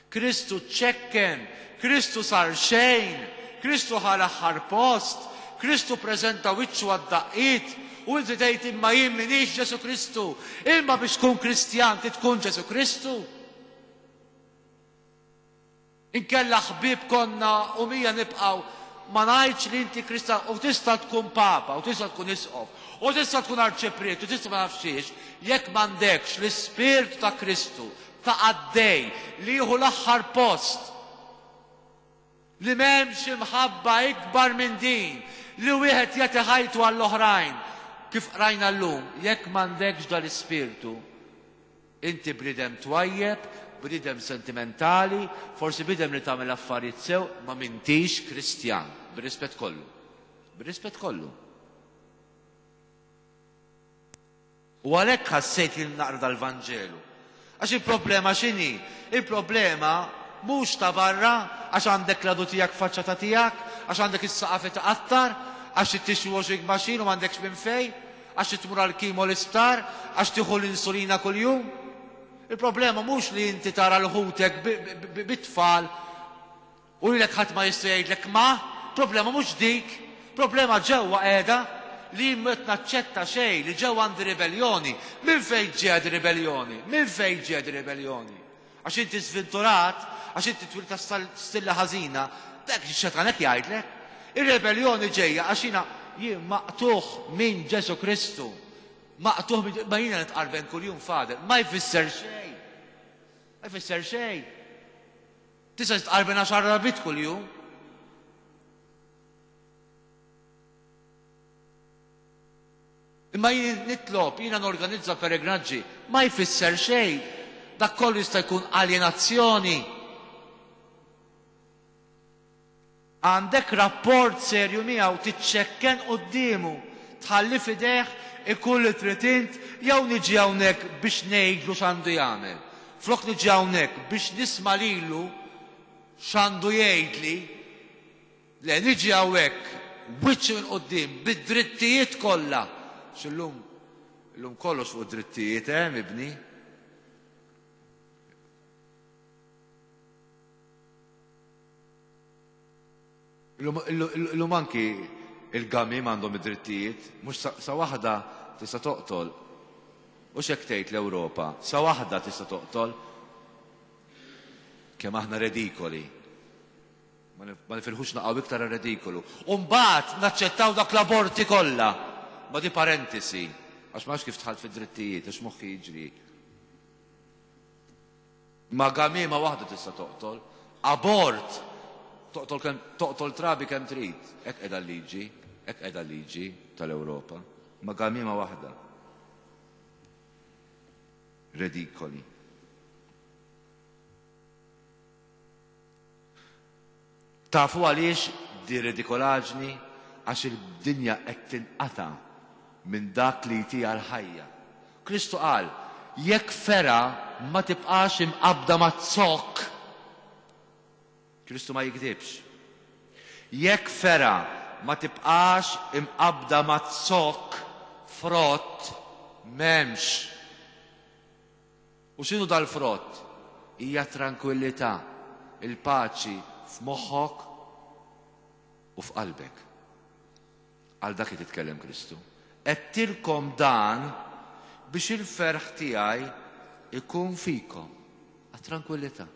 Kristu ċċekken, Kristu sar xejn, Kristu ħa l-aħħar post, Kristu ppreżenta wiċċu għad-daqqiet, u inti tgħid imma jien m'iniex Ġesù Kristu. Imma biex tkun Kristjan trid tkun Ġesù Kristu. Inkella ħbieb konna u mija nibqgħu, ma ngħidx li inti Kristjan u tista' tkun Papa u tista' tkun Isqof u tista' tkun Arċipriet u tista' ma nafx xiex, jekk m'għandekx l-Ispirtu ta' Kristu ta' qaddej li jieħu l-aħħar post, li m'hemmx imħabba ikbar minn din, li wieħed jagħti ħajtu għall-oħrajn, kif qrajna llum, jekk m'għandekx dal-ispirtu, inti bniedem twajjeb, bniedem sentimentali, forsi bniedem li tagħmel affarijiet sew, ma m'intix Kristjan, bir-rispett kollu. Bir-rispett kollu. U għalhekk ħassejt li naqra dal-Vanġelu. Għax il-problema x'inhi? Il-problema mhux ta' barra għax għandek l-għadu tiegħek faċċata tiegħek, għax għandek is-saqaf itqattar, għax trid tixtri washing machine u m'għandekx minn fejn, għax trid tmur għall-chemo l-isptar, għax tieħu l-insulina kuljum. Il-problema mhux li inti tara 'l ħutek bit-tfal U lilek ħadd ma jista' jgħidlek ma, problema mhux dik, problema ġewwa qiegħda li jien m'qed naċċetta xejn, li ġewwa għandi ribelljoni. Minn fejn ġejja di ribelljoni? Minn fejn ġejja di ribelljoni? Għax inti żventurat, għax inti twilidt ta' stilla ħażina, dak ix-xetan hekk jgħidlek. Ir-ribelljoni ġejja għax jiena jien maqtugħ minn Ġesù Kristu. Maqtugħ minn ma jiena nitqarben kuljum Father, ma jfisser xejn. Ma jfisser xejn. Tista' titqarben għaxar darbiet kuljum. Imma jien nitlob, jiena norganizza peregrinaġġi, ma jfisser xejn. Dak kollu jista' jkun aljenazzjoni. Għandek rapport serju miegħu, tiċċekken quddiemu, tħalli f'idejh ikun li trid int jew niġi hawnhekk biex ngħidlu x'għandu jagħmel. Flok niġi hawnhekk biex nisma' lilu x'għandu jgħidli, le niġi hawnhekk wiċċi minn quddiem bid-drittijiet kollha. Għax illum illum kollox fuq id-drittijiet, eh, mibni? Illum anki il-gamiem għandhom id-drittijiet, mhux sa waħda tista' toqtol. Hux hekk tgħid l-Ewropa, sa waħda tista' toqtol. Kemm aħna redikoli. Ma nifilħux naqgħu iktar għar-redikolu. U mbagħad naċċettaw dak l-aborti kollha. Ma di parentesi, għax ma nafx kif dħalt fid-drittijiet, għax moħħi jiġri. Ma gamiema waħda tista' toqtol. Abort! Toqtol kemm toqtol trabi kemm trid. Hekk qiegħda l-liġi, hekk qiegħda l-liġi tal-Ewropa. Ma gamiema waħda. Redikoli. Tafu għaliex di redikolaġni? Għax il-dinja qed tinqata' minn dak li jtiha l-ħajja. Kristu qal, Jekk fergħa ma tibqax imqabbda maz-zokk, Kristu ma jigdibx. Jekk fergħa ma tibqax imqabbda maz-zokk, frott m'hemmx. U x'inhu dal-frott? Hija t-trankwillità, il-paċi f'moħħok u f'qalbek. Għal dak qed jitkellem Kristu. Għedtilkom dan biex il-ferħ tiegħi jkun fikom. Għat-trankwillità.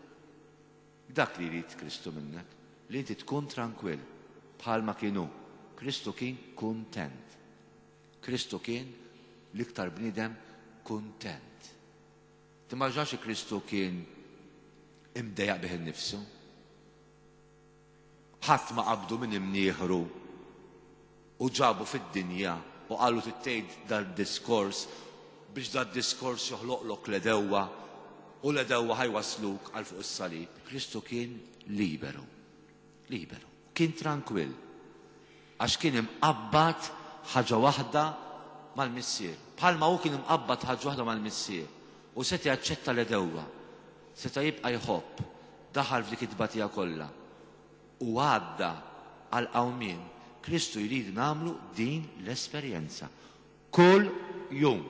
Dak li jrid Kristu minnek, li inti tkun trankwill bħalma kien hu. Kristu kien kuntent. Kristu kien l-iktar bniedem kuntent. Timmaġinax li Kristu kien imdejjaq bih innifsu. Ħadd ma qabdu minn imnieħru u ġabu fid-dinja u qalu trid tgħid dal-diskors biex dad-diskors joħloqlok l-għedewwa u l-għedewwa ħa jwassluk għal fuq is-salib. Kristu kien liberu. Liberu. Kien trankwill. Għax kien imqabbad ħaġa waħda mal-Missier. Bħalma hu kien imqabbad ħaġa waħda mal-Missier u seta' jaċċetta l-għedewwa, seta' jibqa' jħobb, daħal f'dik it-tbatija kollha u għadda għall-qawmien, Kristu jrid nagħmlu din l-esperjenza kull jum.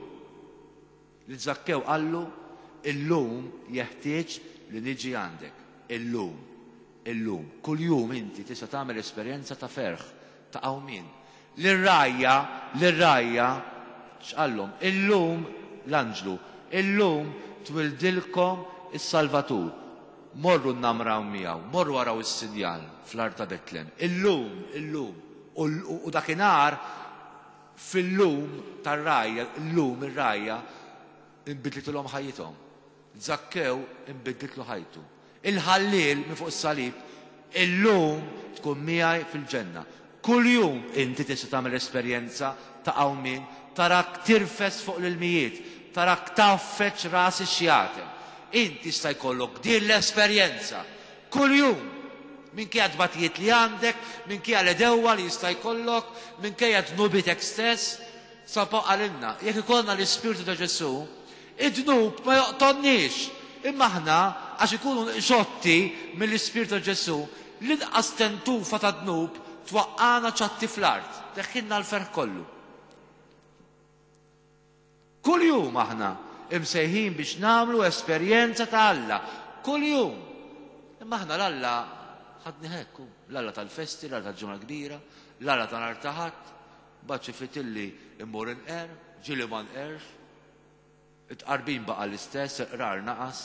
Lil Żakkew qallu, Illum jeħtieġ li niġi għandek. Illum. Illum. Kuljum inti tista' tagħmel esperjenza ta' ferħ, ta' qawmien. Lir-rgħajja, lir-rgħajja, x'qallhom? Illum, l-anġlu, illum twildilkom is-Salvatur. Morru nnamraw miegħu, morru araw is-sinjal fl-art ta' Betlem. Illum, illum. U, u dakinhar Fil-lum tar-rgħajja, illum ir-rgħajja inbidlitilhom ħajjithom. Żakkew inbidlitlu ħajtu. Il-ħalliel minn fuq is-salib, illum tkun miegħi fil-ġenna. Kuljum inti tista' tagħmel esperjenza ta' qawmien, tarak tirfes fuq l-ilmijiet, tarak tgħaffeġ ras ix-xjaten. Int jista' jkollok din l-esperjenza Kuljum! Minkejja t-tbatijiet li għandek, minkejja l-għedewwa li jista' jkollok, minkejja dnubietek stess, San Pawl qalilna, jekk ikollna l-Ispirtu ta' Ġesù, id-dnub ma joqtolniex. Imma aħna, għax ikunu xotti mill-Ispirtu ta' Ġesù, l-inqas tentufa ta' dnub twaqqagħna ċatti fl-art, teħħilna l-ferħ kollu. Kuljum aħna imsejħin biex nagħmlu esperjenza ta' Alla. Kuljum. Imma aħna l-Alla ħadni hekk, l-Alla tal-festi, l-Alla tal-Ġimgħa l-Kbira, l-Alla ta' nhar ta' Ħadd, mbagħad xi fitilli immur inqer, ġieli ma nqerx. It-tqarbin baqa' l-istess, il-qrar naqas.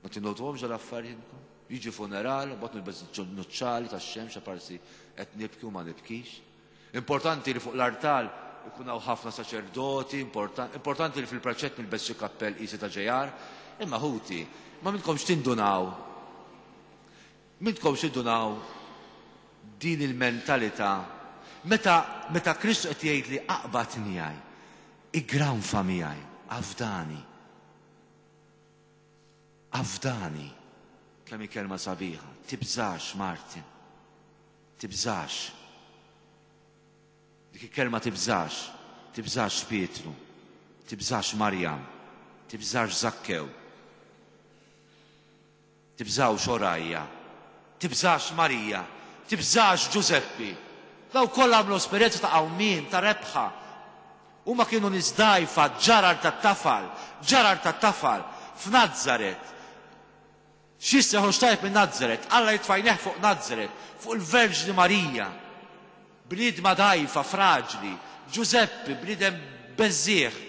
Ma tinnotuhomx dal-affarijiet intkom? Jiġi funeral, mbagħad nilbes nuċċali tax-xemx aparsi qed nibki u ma nibkix. Importanti li fuq l-artal ikun hawn ħafna saċerdoti, importanti li fil-praċett nilbes xi kappell qisi ta' ġejar. Imma ħuti, ma minnkomx tindunaw. Minnkomx tindunaw din il-mentalità meta meta Kristu qed jgħidli aqbad miegħi, iggranfa miegħi, afdani. Afdani. Kemm hi kelma sabiħa. Tibżax, Martin. Tibżax. Dik il-kelma tibżax. Tibżax Pietru. Tibżax Marjam. Tibżax Zakkew. Tibżgħux, o rgħajja. Tibżax, Marija. Tibżax, Ġużeppi. Dawk kollha għamlu esperjenza ta' qawmien, ta' rebħa. Huma kienu nies dgħajfa, ġarar tat-tafal, ġarar tat-tafal, f'Nazaret. X'jista' joħroġ tajjeb minn Nazaret? Alla jitfa' għajnejh fuq Nazaret, fuq il-Verġni Marija. Bniedma dgħajfa, fraġli. Ġużeppi, bniedem beżżiegħ.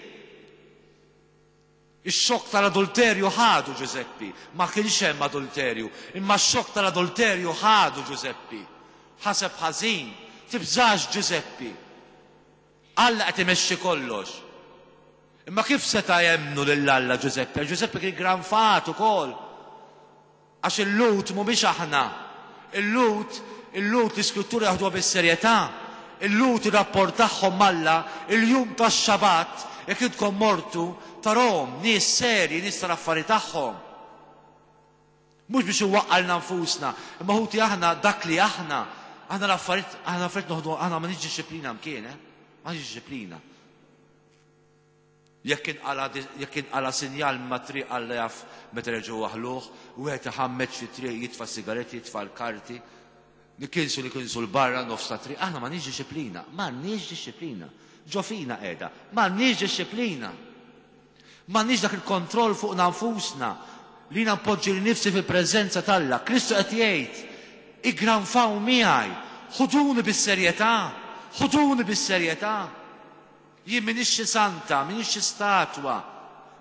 Ix-xokk tal-adulterju ħadu Ġużeppi. Ma kienx hemm adulterju, imma x-xokk tal-adulterju ħadu Ġużeppi. Ħaseb ħażin. Tibżax Ġużeppi. Alla qed imexxi kollox. Imma kif seta' jemmnu lil Alla Ġużeppi? Għax Ġużeppi kien granfat ukoll. Għax il-Lhud mhumiex aħna. Il-Lhud, il-Lhud l-Iskrittura jaħduha bis-serjetà. Il-Lhud ir-rapport tagħhom m'Alla, il-jum tax-Xabat, jekk intkom mortu, tarahom nies serji, nies tal-affari tagħhom. Mhux biex inwaqqalna nfusna, imma ħuti aħna dak li aħna, aħna l-affarijiet, aħna l-affarijiet noħdu, aħna m'għandniex dixxiplina mkien, eh? M'għandniex dixxiplina. Jekk inqala' jekk inqala' sinjal mat-triq Alla jaf meta reġgħu waħħluh, wieħed iħammeġ fit-triq jitfa' s-sigaretti, jitfa' l-karti, nikinsu nikinsu 'l barra nofs ta' triq. Aħna m'għandniex dixxiplina, m'għandniex dixxiplina. Ġo fina qiegħda, m'għandniex dixxiplina. M'għandniex dak il-kontroll fuqna nfusna li jiena npoġġi lil nifsi fil-preżenza t'Alla. Kristu qed jgħid, Iggranfaw miegħi, ħuduni bis-serjetà, ħuduni bis-serjetà. Jien m'iniex xi santa, m'iniex xi statwa,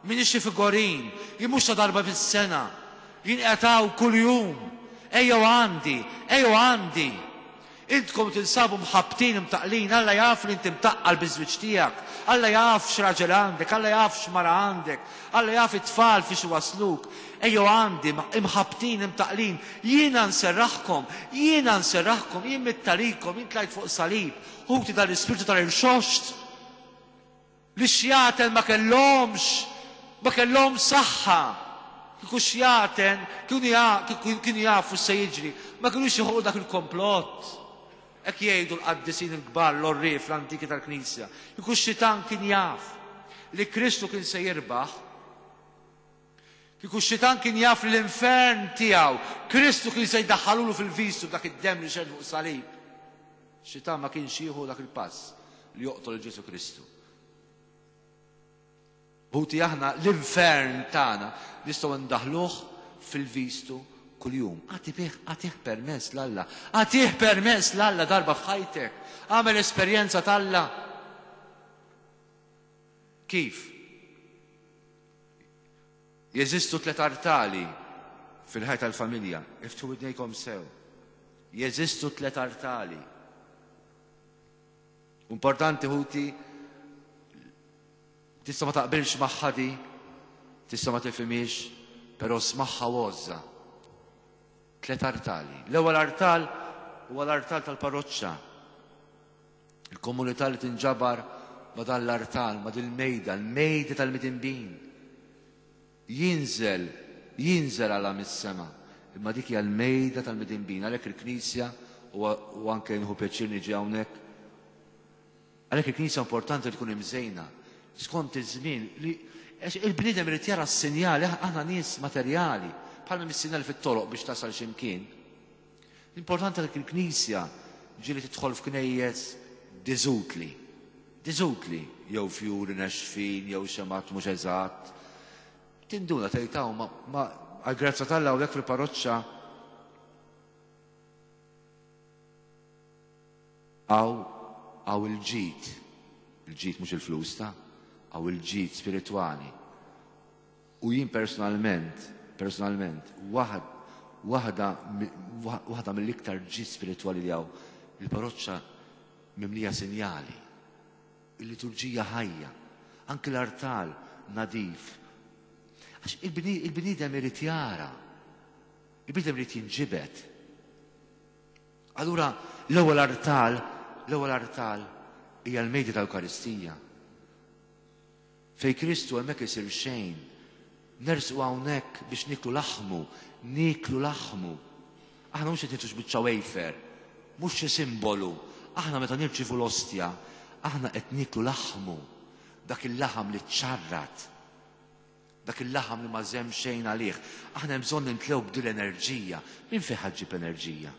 m'iniex xi figurin, jien mhux ta' darba fis-sena. Jien qiegħed hawn kuljum. Ejjew għandi, ejjew għandi. Intkom tinsabu mħabbtin, imtaqqlin, Alla jaf li inti mtaqqal biż-żwieġ tiegħek, Alla jaf x'raġel għandek, Alla jaf x'mara għandek, Alla jaf it-tfal fiex iwassluk. Ejjew għandi, imħabbtin, imtaqqlin, jiena nserraħkom, jiena nserraħkom, jien mitt għalikom, jien tlajt fuq salib. Ħuti dan l-ispirtu tal-irxoxt li x-xjaten ma kellhomx, ma kellhomx saħħa. Kieku x-xjaten kienu jafu x'se jiġri, ma kinux joħolqu dak il-komplott. Hekk jgħidu l-qaddisin il-kbar, l-għorrief, l-antiki tal-Knisja. Kieku x-xitan kien jaf li Kristu kien se jirbaħ, kieku x-xitan kien jaf li l-infern tiegħu Kristu kien se jdaħħalulu fil-vistu b'dak id-demm li xerred fuq salib. Xitan ma kienx jieħu dak il-pass li joqtol lil Ġesù Kristu. Ħuti aħna l-infern tagħna nistgħu ndaħluh fil-vistu kuljum. Agħti agħtih permess 'l Alla. Agħtih permess 'l Alla darba f'ħajtek. Agħmel esperjenza t'Alla. Kif? Jeżistu tlett artali fil-ħajja tal-familja. Iftħu widnejkom sew. Jeżistu tlett artali. Importanti ħuti, tista' ma taqbilx magħha di, tista' ma tifhimhiex, però smagħha u għożżha. Tlett artali. L-ewwel artal huwa l-artal tal-parroċċa. Il-komunità li tinġabar ma' dan l-artal, ma' dil-mejda, l-mejda tal-midinbin. Jinżel, jinżel Alla mis-sema. Imma dik hija l-mejda tal-midinbin. Għalhekk il-Knisja, u anke nieħu pjaċir niġi hawnhekk, Għalhekk il-Knisja importanti li tkun imżejna skont iż-żmien li għax il-bniedem irid jara s-sinjali, aħna nies materjali, bħalma mis-sinjali fit-toroq biex tasal x'imkien. L-importanti li l-Knisja ġieli tidħol f'knejjes diżutli. Diżutli, jew fjuri nexfin, jew xemat mhux eżatt. Tinduna tgħid hawn ma għall-grazzja t'Alla hawnhekk fil-parroċċa Hawn hawn il-ġid, il-ġid mhux il-flus ta, hawn il-ġid spiritwali. U jien personalment, personalment, waħd, waħda, waħda mill-iktar ġid spiritwali li hawn, il-parroċċa mimlija sinjali. Il-liturġija ħajja, anki l-artal nadif. Għax il-bniedem irid jara, il-bniedem irid jinġibed. Allura l-ewwel artal, l-ewwel artal hija l-mejda tal-Ewkaristija. Fej Kristu hemmhekk isir xejn. Nersqu hawnhekk biex niklu laħmu, niklu laħmu. Aħna mhux qed nitux biċċa wafer, mhux xi simbolu. Aħna meta nirċivu l-ostja, aħna qed niklu laħmu, dak il-laħam li ċarrat. Dak il-laħam li ma żemm xejn għalih. Aħna hemm bżonn nimtlew b'din l-enerġija. Min fejn ħa ġġib l-enerġija?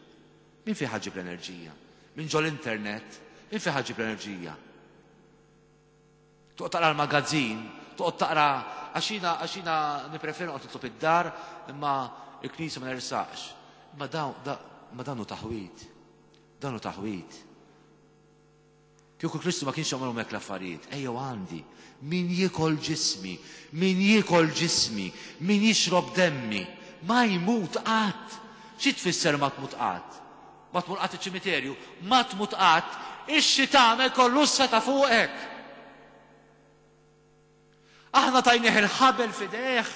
Min fejn ħa ġġib l-enerġija? Minn ġol-internet? Min fejn ħa ġġib l-enerġija? Toqgħod taqra l-magazzin, toqgħod taqra għax jiena għax jiena nippreferi noqgħod nitlob id-dar imma l-knisja ma nersaqx. Imma dawn ma dan hu taħwid. Dan hu taħwid. Kieku Kristu ma kienx jagħmilhom hekk l-affarijiet, ejjew għandi, min jiekol ġismi, min jiekol ġismi, min jixrob demmi, ma jmut qatt. Xi tfisser ma tmut qatt? Ma tmur qatt iċ-ċimiterju, ma tmut qatt, ix-xitan ma jkollux seta' fuqek. Aħna tajnieh il-ħabel f'idejh.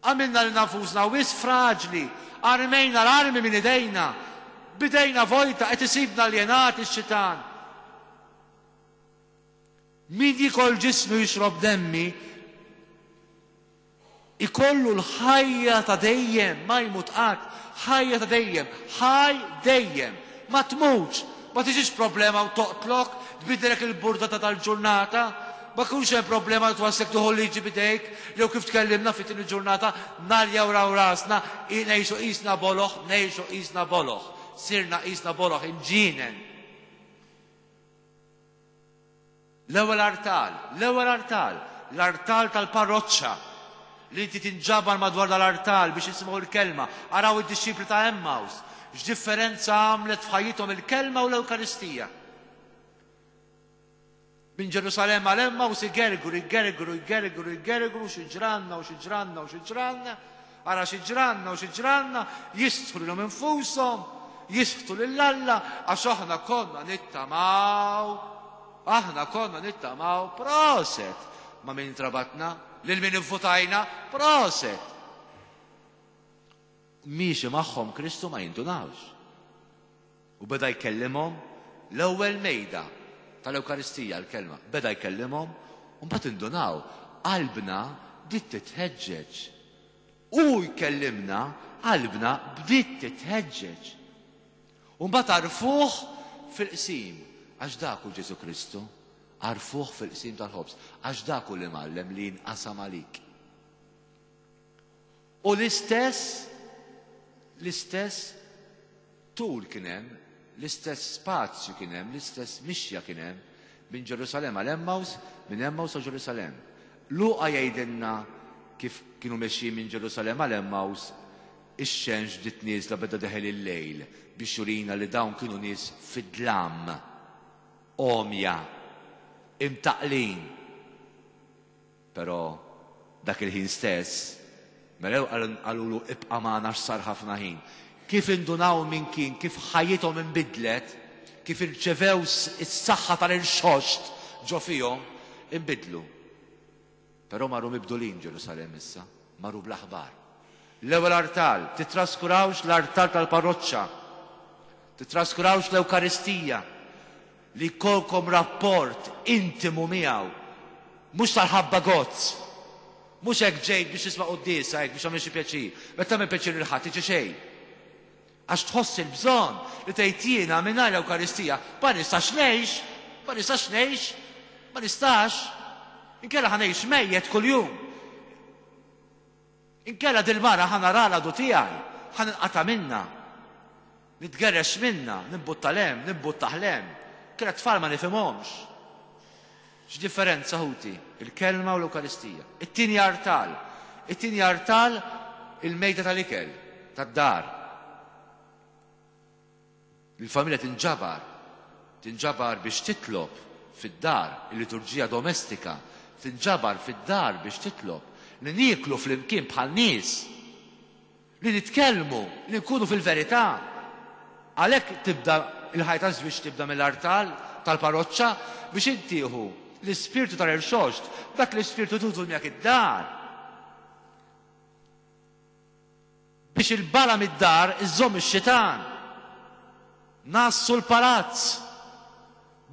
Għamilna lilna nfusna wisq fraġli, armejna l-armi minn idejna, b'idejna vojta qed isibna aljenati x-xitan. Min jiekol ġismi u jixrob demmi, ikollu l-ħajja ta' dejjem, ma jmut qatt, ħajja ta' dejjem, ħaj dejjem, ma tmutx, ma tiġix problema u toqtlok, tbiddellek il-burdata tal-ġurnata, ma jkunx hemm problema li twasslek tieħu l-liġi b'idejk, jew kif tkellimna fit-tieni ġurnata, narjaw rasna, ngħixu qisna boloh, ngħixu qisna boloh, sirna qisna boloh, imġienen. L-ewwel artal, l-ewwel artal, l-artal tal-parroċċa, li inti tinġabar madwar dal-artal biex jisimgħu l-kelma. Araw id-dixxipli ta' Emmaus, x'differenza għamlet f'ħajjithom il-kelma u l-Ewkaristija. Minn Ġerusalemm għal Emmaus igergru, igergru, igergru, igergru, xi ġranna u xi ġranna u xi ġranna. Ara xi ġranna u xi ġranna, jistħu lilhom infushom, jisħtu lil Alla, għax aħna konna nittamaw, aħna konna nittamaw, proset! Ma' min intrabatna, lil min ivvutajna, proset! Miexi magħhom Kristu ma jindunawx. U beda jkellimhom l-ewwel mejda tal-Ewkaristija, l-kelma, beda jkellimhom u mbagħad indunaw, qalbna bdiet titħeġġeġ. Hu jkellimna, qalbna bdiet titħeġġeġ. U mbagħad għarfuh fil-qsim, għax dak hu Ġesù Kristu, għarfuh fil-qsim tal-ħobż, għax dak hu l-imgħallem li jinqasam għalik. U l-istess, l-istess tul kien hemm, l-istess spazju kien hemm, l-istess mixja kien hemm minn Ġerusalemm għal Emmaus, minn Emmaus għal Ġerusalemm. Luqa jgħidilna kif kienu mexjin minn Ġerusalemm għal Emmaus, ix-xemx bdiet nieżla beda deħel il-lejl biex jurina li dawn kienu nies fid-dlam, għomja, imtaqqlin. Però dak il-ħin stess, melew qalulu ibqa' magħna għax sar ħafna ħin. Kif indunaw min kien, kif ħajjithom inbidlet, kif irċevew is-saħħa tal-irxoxt ġo fihom, inbidlu. Però marru mibdulin Ġerusalemm issa, marru bl-aħbar. L-ewwel artal, titraskurawx l-artal tal-parroċċa, titraskurawx l-Ewkaristija, li jkollkom rapport intimu miegħu, mhux tal-ħabba gozz. Mhux hekk ġejt biex tisma' quddiesa hekk biex tagħmel xi pjaċir. Meta tagħmel pjaċir lil ħadd tiġi xejn. Għax tħoss il-bżonn li tgħid jiena mingħajr l-Ewkaristija ma nistax ngħix, ma nistax ngħix, ma nistax. Inkella ħa ngħix mejjet kuljum. Inkella dil-mara ħa nara l-għadu tiegħi, ħa ninqata' minnha. Nitgerrex minnha, nimbutta 'l hemm, nimbuttah 'l hemm. Inkella t-tfal ma nifhimhomx. X'differenza ħuti, il-Kelma u l-Ewkaristija. It-tieni artal. It-tieni artal il-mejda tal-ikel, tad-dar. Il-familja tinġabar, tinġabar biex titlob fid-dar, il-liturġija domestika, tinġabar fid-dar biex titlob, li nieklu flimkien bħal nies, li nitkellmu, li nkunu fil-verità. Għalhekk tibda il-ħajja taż-żwieġ tibda mill-artal tal-parroċċa biex int tieħu l-ispirtu tal-irxoxt, dak l-ispirtu tużu miegħek id-dar. Biex il-bala mid-dar iżżomm ix-xitan. Ngħassu l-palazz.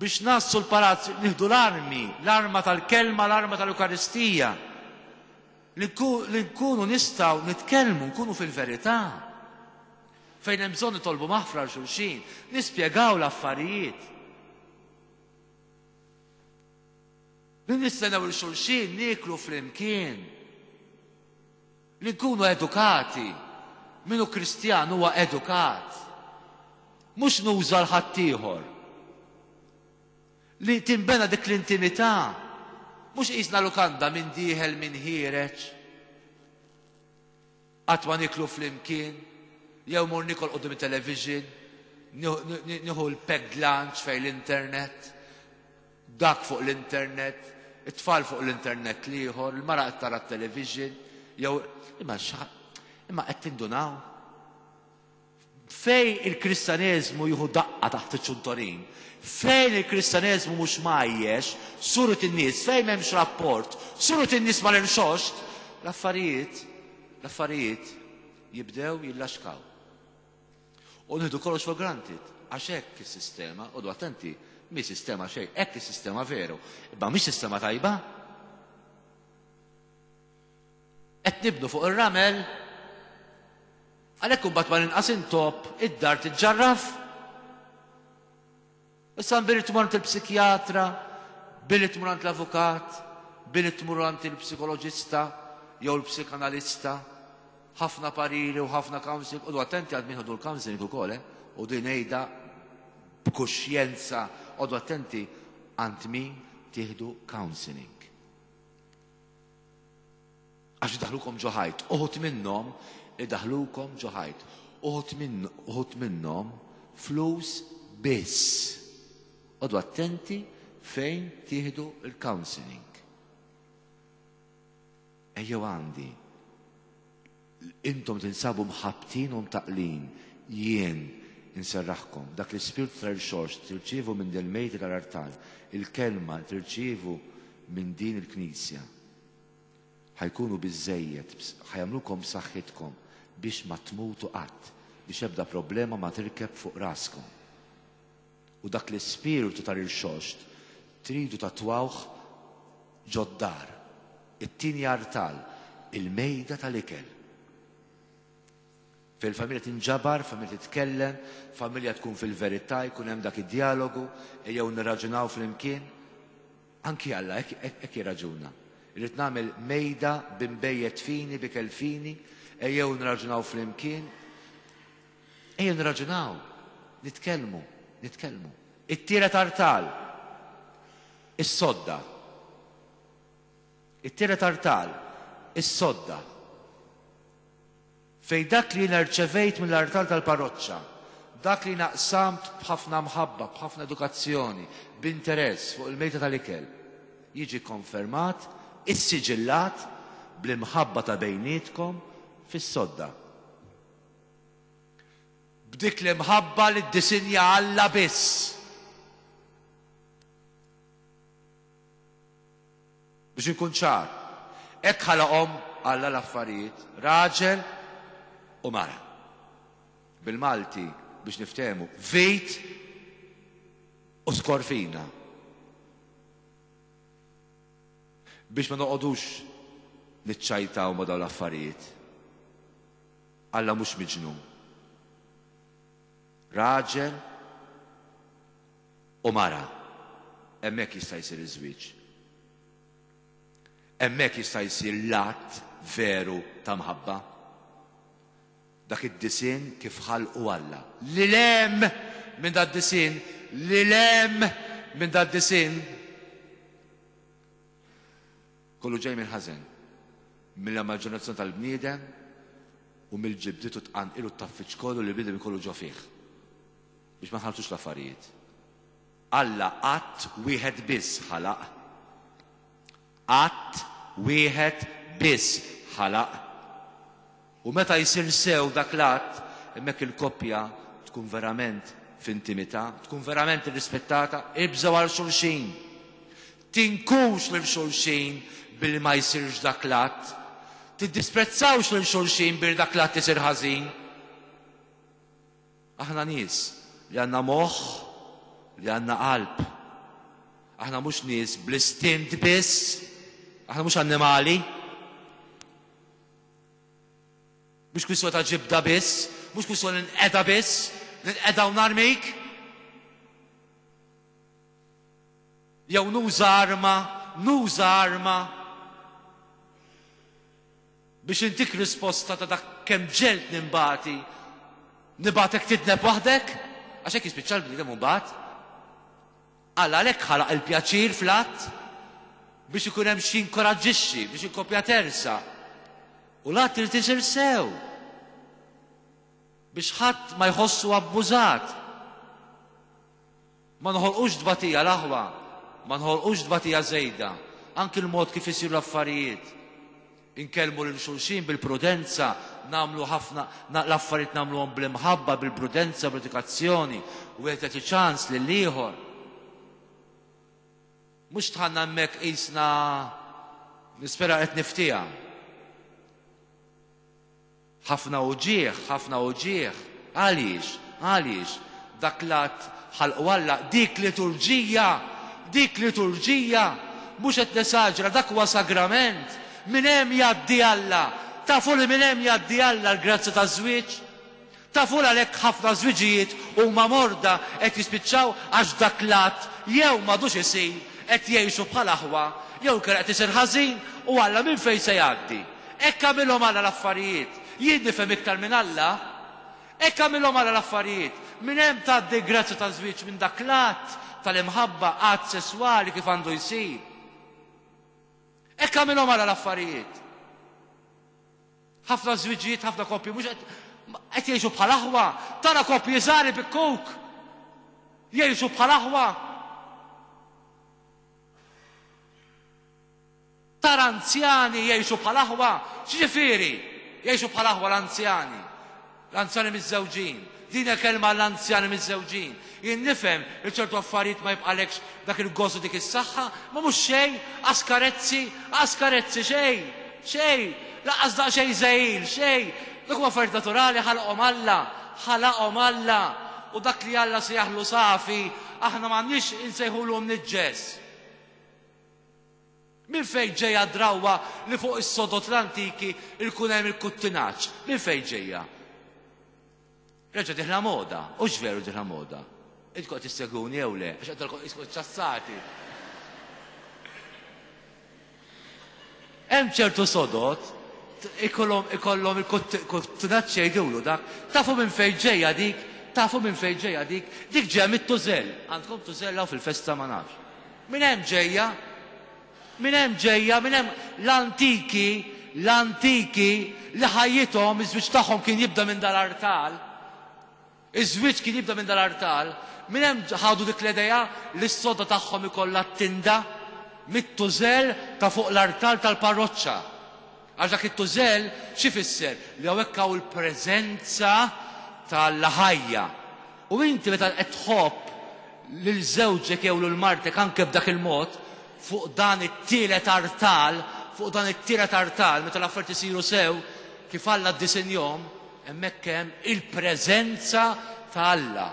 Biex ngħassu l-palazz nieħdu l-armi, l-arma tal-kelma, l-arma tal-Ewkaristija. Li nkunu nistgħu nitkellmu, nkunu fil-verità. Fejn hemm bżonn nitolbu maħfra għal xulxin, nispjegaw l-affarijiet. Li nistennew il xulxin nieklu flimkien. Li nkunu edukati. Min hu Kristjan huwa edukat. Mhux nuża 'l ħaddieħor. Li tinbena dik l-intimità. Mhux qisna lukanda min dieħel min ħiereġ. Qatt ma nieklu flimkien, jew mur niekol quddiem it-television, nieħu l-packed lunch fejn l-internet. Dak fuq l-internet, it-tfal fuq l-internet l-ieħor, il-mara qed tara t-television, jew imma imma qed tindunaw? Fejn il-Kristjaneżmu jieħu daqqa taħt iċ-ċuntorin, fejn il-Kristjaneżmu mhux mgħajjex, suret in-nies, fejn m'hemmx rapport, suret in-nies mal-irxoxt, l-affarijiet, l-affarijiet jibdew jillaxkaw. U nieħdu kollox for granted, għax hekk is-sistema, qogħdu attenti, mhi sistema xejn, hekk is-sistema veru, imma mhix sistema tajba. Qed nibnu fuq ir-ramel, għalhekk imbagħad mal-inqas intopp id-dar tiġġarraf. Issa billi tmur għand il-psikjatra, billi tmur għand l-avukat, billi tmur għand il-psikoloġista jew l-psikanalista, ħafna pariri u ħafna counseling, u attenti għad min ħodu l-counseling ukoll, eh? U din ngħidha b'kuxjenza, għodu attenti għand min tieħdu counseling. Għax idaħlukom ġo ħajt. Uħud minnhom idaħlukom ġo ħajt. Uħud minn uħud minnhom flus biss. Għodu attenti fejn tieħdu l-counseling. Ejjew għandi. Intom tinsabu mħabbtin u mtaqqlin, jien inserraħkom. Dak l-ispirtu tal-irxoxt tirċievu minn del-mejda tal-artal, il-kelma tirċievu minn din il-knisja. Ħa jkunu biżżejjed, ħa jagħmlukom b'saħħitkom biex ma tmutu qatt, biex ebda problema ma tirkeb fuq raskom. U dak l-ispirtu tal-irxoxt tridu tatwawh ġod-dar, it-tieni artal, il-mejda tal-ikel. Fejn il-familja tinġabar, familja titkellem, familja tkun fil-verità, jkun hemm dak id-djalogu, ejjew nirraġunaw flimkien. Anki Alla hekk jirraġuna. Irrid nagħmel mejda b'imbejjed fini, b'ikel fini, ejjew nirraġunaw flimkien. Ejjew nirraġunaw, nitkellmu, nitkellmu. It-tielet artal, is-sodda. It-tielet artal, is-sodda. Fejn dak li jiena rċevejt mill-artal tal-parroċċa, dak li jiena qsamt b'ħafna mħabba, b'ħafna edukazzjoni, b'interess fuq il-mejda tal-ikel, jiġi kkonfermat, issiġillat bl-imħabba ta' bejnietkom fis-sodda. B'dik l-imħabba li ddisinja Alla biss. Biex inkun ċar, hekk ħalaqhom Alla l-affarijiet, raġel u mara. Bil-Malti, biex niftehmu, vit u skorfina. Biex ma noqogħdux niċċajtaw ma' dawn l-affarijiet. Alla mhux miġnun. Raġel u mara. Hemmhekk jista' jsir iż-żwieġ. Hemmhekk jista' jsir l-att veru ta' mħabba. Dak id-disinn kif ħalqu Alla. Lil hemm minn dad-disinn, lil hemm minn dad-disinn. Kollu ġej mill-ħażen, mill-immaġinazzjoni tal-bniedem u mill-ġibdiet u t-tqanqil u t-tgħaffiġ kollu li l-bniedem ikollu ġo fih. Biex ma nħalltux l-affarijiet. Alla att wieħed biss ħalaq. Att wieħed biss ħalaq. U meta jsir sew dak l-att, hemmhekk il-koppja tkun verament f'intimità, tkun verament irrispettata, ibżgħu għal xulxin. Tinkux lil xulxin billi ma jsirx dak l-att. Tiddisprezzawx lil xulxin billi dak l-att isir ħażin. Aħna nies li għandna moħħ, li għandna qalb. Aħna mhux nies bl-istint biss, aħna mhux annimali. Mhux kwistjoni ta' ġibda biss, mhux kwistjoni nqeda biss, ninqeda u narmik. Jew nuża arma, nuża arma biex intik risposta ta' dak kemm ġelt nimbati, nibatek tidneb waħdek, għax hekk jispiċċa l-bniedem imbagħad. Alla għalhekk ħalaq il-pjaċir fl-att biex ikun hemm xi jinkoraġġixxi, biex il-koppja tersaq. U l-att irid isir sew biex ħadd ma jħossu abbużat. Ma noħolqux tbatija l-aħwa, ma noħolqux tbatija żejda, anki l-mod kif isiru l-affarijiet. Inkellmu lil xulxin bil-prudenza, nagħmlu ħafna l-affarijiet nagħmluhom bl-imħabba, bil-prudenza, bl-edukazzjoni, wieħed jagħti ċans lill-ieħor. Mhux dħalna hemmhekk qisna nispera qed niftiha. Ħafna uġigħ, ħafna uġigħ. Għaliex? Għaliex? Dak l-att ħalqu Alla, dik liturġija, dik liturġija, mhux qed nesaġera, dak huwa sagrament. Minn hemm jgħaddi Alla. Tafu li minn hemm jgħaddi Alla l-grazzja taż-żwieġ? Tafu l għalhekk ħafna żwiġijiet huma morda qed jispiċċaw għax dak l-att jew m'għadux isir, qed jgħixu bħal aħwa, jew inkella qed isir ħażin u Alla minn fejn se jgħaddi? Hekk għamilhom Alla l-affarijiet. Jien nifhem iktar minn Alla? Hekk għamilhom Alla l-affarijiet. Minn hemm tgħaddi l-grazzja taż-żwieġ minn dak l-att tal-imħabba, att sesswali kif għandu jsir. Hekk għamilhom Alla l-affarijiet. Ħafna żwiġijiet, ħafna koppji mhux qed qed jgħixu bħal aħwa. Tara koppji żgħar ibikkuk. Jgħixu bħal aħwa. Tara anzjani jgħixu bħal aħwa. X'ġifieri? Jgħixu bħal aħwa l-anzjani. L-anzjani miżżewġin. Din hija kelma għall-anzjani miżżewġin. Jien nifhem li ċertu affarijiet ma jibqalekx dak il-gost u dik is-saħħa, ma mhux xejn, qas karezzi, qas karezzi, xejn, xejn, lanqas daqsxejn żegħil, xejn. Dak huma affarijiet naturali ħalaqhom Alla, ħalaqhom Alla. U dak li Alla sejjaħlu safi, aħna m'għandniex insejħulu mniġġes. Minn fejn ġejja d-drawwa li fuq is-sodod l-antiki jkun hemm il-kuttinaġġ? Minn fejn ġejja? Reġa' dieħla moda. Hux veru dieħla moda? Intkom qed issegwuni jew le? Għax qed narakom qiskom iċċassati. Hemm ċertu sodod ikollhom ikollhom il-kuttinaġġ jgħidulu dak. Tafu minn fejn ġejja dik? Tafu minn fejn ġejja dik? Dik ġejja mit-tużell. Għandkom tużell hawn fil-festa ma nafx. Minn hemm ġejja. Minn hemm ġejja, minn hemm l-antiki, l-antiki li ħajjithom, iż-żwieġ tagħhom kien jibda minn dal-artal. Iż-żwieġ kien jibda minn dal-artal. Minn hemm ħadu dik l-idea li s-sodda tagħhom ikollha t-tinda mit-tużell ta' fuq l-artal tal-parroċċa. Għax dak it-tużell x'ifisser? Li hawnhekk hawn il-preżenza ta' Alla ħajja. U inti meta qed tħobb lil żewġek jew lil martek anke b'dak il-mod, fuq dan it-tielet artal, fuq dan it-tielet artal, meta l-affarijiet isiru sew, kif Alla ddisinjhom, hemmhekk hemm il-preżenza ta' Alla.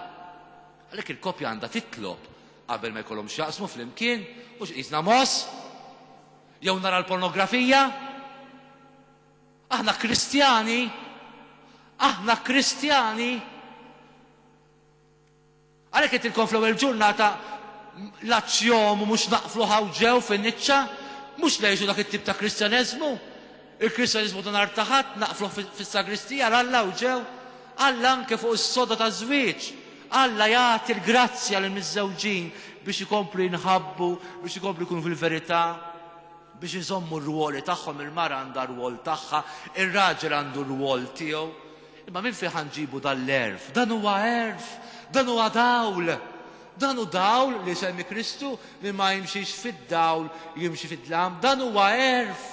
Għalhekk il-koppja għandha titlob qabel ma jkollhom x'jaqsmu flimkien, mhux qisna mogħoż, jew nara l-pornografija. Aħna Kristjani, aħna Kristjani. Għalhekk għedtilkom fl-ewwel ġurnata l-azzjomu mhux naqflu hawn ġew fin-niċċa, mhux ngħixu dak it-tip ta' Kristjaneżmu. Il-Kristjaneżmu ta' nhar ta' Ħadd naqfluh fis-sagristija għal Alla hawn ġew. Alla anke fuq is-soda taż-żwieġ. Alla jagħti l-grazzja lill-miżżewġin biex ikomplu jinħabbu, biex ikomplu jkunu fil-verità, biex iżommu r-rwoli tagħhom, il-mara għandha r-rwol tagħha, ir-raġel għandu r-rwol tiegħu. Imma minn fejn ħa nġibu dan l-għerf? Dan huwa għerf, dan huwa dawl. Dan hu dawl li jsemmi Kristu, min ma jimxix fid-dawl jimxi fid-dlam. Dan huwa għerf.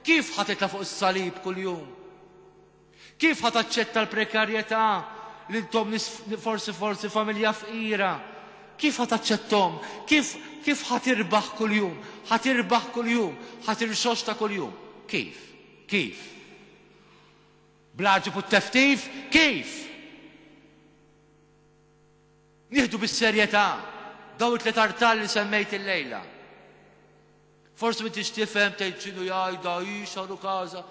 Kif ħa titla' fuq is-salib kuljum? Kif ħa taċċetta l-prekarjetà li intom nies forsi forsi familja fqira? Kif ħa taċċettom? Kif kif ħa tirbaħ kuljum? Ħa tirbaħ kuljum, ħa tirxoxta kuljum. Kif? Kif? Bl-għaġeb u t-teftif? Kif? Nieħdu bis-serjetà dawn it-tliet artal li semmejt illejla. Forsi m'intix tifhem tgħid x'inhu jgħidha hi x'għandu każa.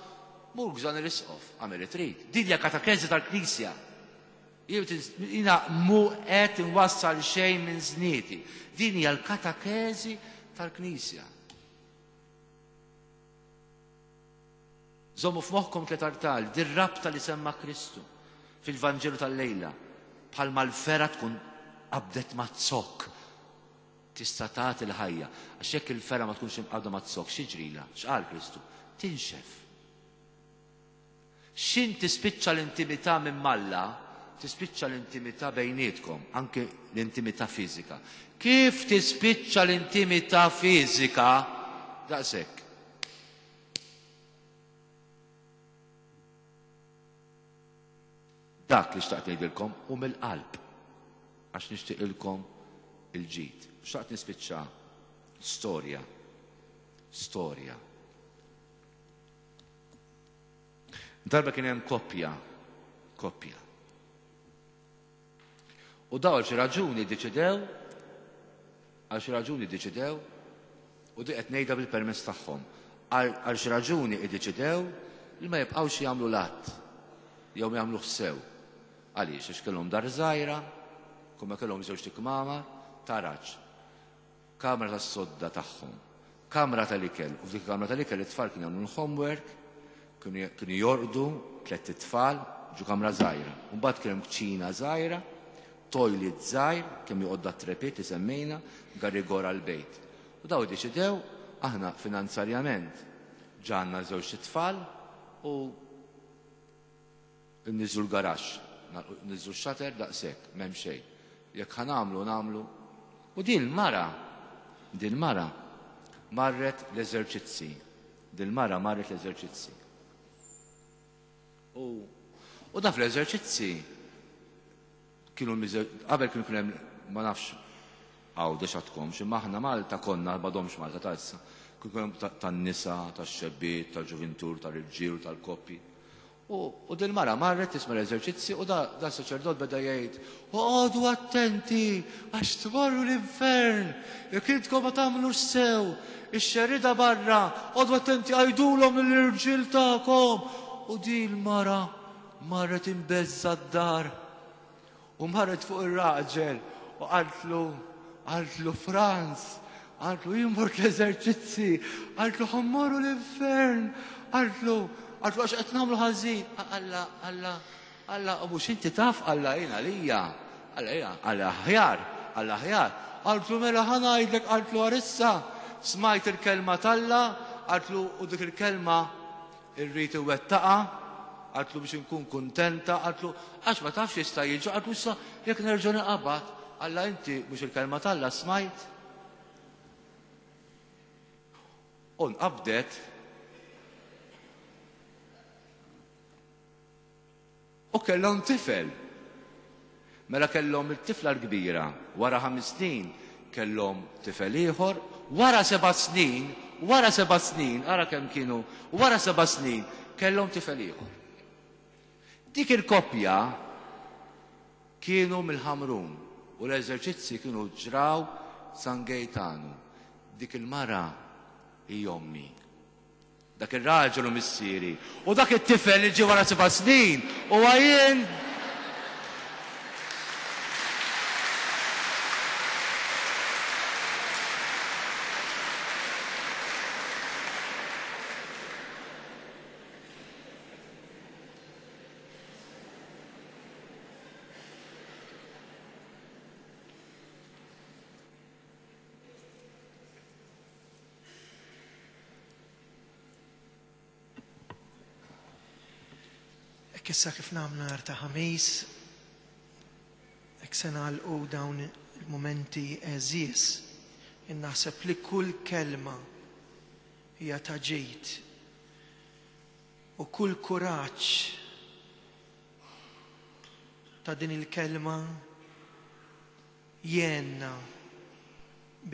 Mur gżan l-isqof, għamel li trid. Din hija katekeżi tal-Knisja. Jiena mhu qed inwassal xejn minn żnieti. Din hija l-katekeżi tal-Knisja. Żommu f'moħħkom tliet artal, dir-rabta li semma Kristu fil-Vanġelu tal-lejla, bħalma l-fergħa tkun qabdet ma' zokk tista' tagħti l-ħajja. Għax jekk il-fergħa ma tkunx imqabbda ma' zokk, x'jiġrilha? X'qal Kristu? Tinxef. X'in tispiċċa l-intimità minn m'Alla, tispiċċa l-intimità bejnietkom, anke l-intimità fiżika. Kif tispiċċa l-intimità fiżika? Daqshekk. Dak li xtaqt ngħidilkom hu mill-qalb għax nixtieqilkom il-ġid. Xtaqt nispiċċa storja. Storja. Darba kien hemm koppja, koppja. U daw għal xi raġuni ddeċidew, għal xi raġuni ddeċidew, u di qed ngħidha bil-permess tagħhom, għal xi raġuni ddeċidew li ma jibqgħux jagħmlu l-att jew ma jagħmluh sew. Għaliex? Għax kellhom dar żgħira, kumma kellhom żewġt ikmamar, taraġ. Kamra tas-sodda tagħhom, kamra tal-ikel, u f'dik il-kamra tal-ikel it-tfal kienu jagħmlu l-homework, kienu jorqdu tlett itfal ġo kamra żgħira. U mbagħad kien hemm kċina żgħira, toilet żgħir, kemm joqgħod dat-trepit li semmejna, garigor għall-bejt. U daw iddeċidew, aħna finanzarjament ġa għandna żewġt itfal u Inniżżlu l-garaxx, niżżlu x-shutter daqshekk, m'hemm xejn. Jekk ħa nagħmlu, nagħmlu. U din il-mara, din il-mara marret l-eżerċizzi. Din il-mara marret l-eżerċizzi. U, u da fl-eżerċizzi kienu qabel kienu kien hemm ma nafx Għawdex għadkomx, imma aħna Malta konna, m'għadhomx Malta ta' issa, kien hemm tan-nisa, tax-xebbiet, tal-ġuvintur, tal-irġiel, tal-koppji. U, u dil-mara marret tisma' l-eżerċizzi u da, da saċerdot beda jgħid, Oqogħdu attenti għax tmorru l-infern jekk intkom ma tagħmlux sew, ix-xerrieda barra, oqogħdu attenti għidulhom lill-irġiel tagħkom. U din il-mara marret imbeżża' d-dar. U marret fuq ir-raġel u qaltlu, qaltlu Franz, qaltlu jien mort l-eżerċizzi, qaltlu ħa mmorru l-infern, qaltlu, qaltlu għax qed nagħmlu ħażin. Alla, Alla, Alla, u mhux inti taf, Alla jien għalija, Alla jien, Alla aħjar, Alla aħjar. Qaltlu mela ħa ngħidlek, qaltlu għarissa, smajt il-kelma t'Alla, qaltlu u dik il-kelma Irrid iwettaqha, qaltlu biex inkun kuntenta, qaltlu għax ma tafx jista' jiġri, qaltlu issa jekk nerġa' ninqabad, Alla inti mhux il-kelma t'Alla smajt? U nqabdet U kellhom tifel. Mela kellhom it-tifla l-kbira, wara ħames snin kellhom tifel ieħor, wara seba' snin, wara seba' snin, ara kemm kienu, wara seba' snin kellhom tifel ieħor. Dik il-koppja kienu mill-Ħamrun u l-eżerċizzi kienu ġraw San Gejtanu. Dik il-mara hi ommi. Dak ir-raġel hu missieri. U dak it-tifel li ġie wara seba' snin huwa jien. Hekk issa kif nagħmlu nhar ta' Ħamis, hekk se nagħlqu dawn il-mumenti għeżież. Jien naħseb li kull kelma hija ta' ġid u kull kuraġġ ta' din il-kelma jgħinna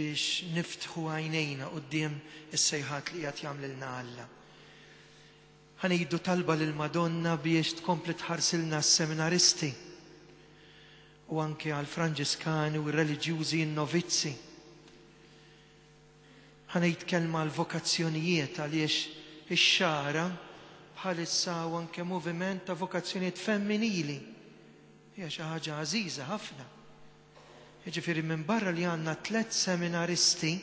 biex niftħu għajnejna quddiem is-sejħat li qiegħed jagħmlilna Alla. Ħa ngħidu talba lill-Madonna biex tkompli tħarsilna s-seminaristi u anke għall-Franġiskani u r-reliġjużi n-novizzi. Ħa ngħid kelma għall-vokazzjonijiet għaliex ix-Xagħra bħalissa hawn anke moviment ta' vokazzjonijiet femminili. Hija xi ħaġa għażiża ħafna. Jiġifieri minbarra li għandna tlett seminaristi,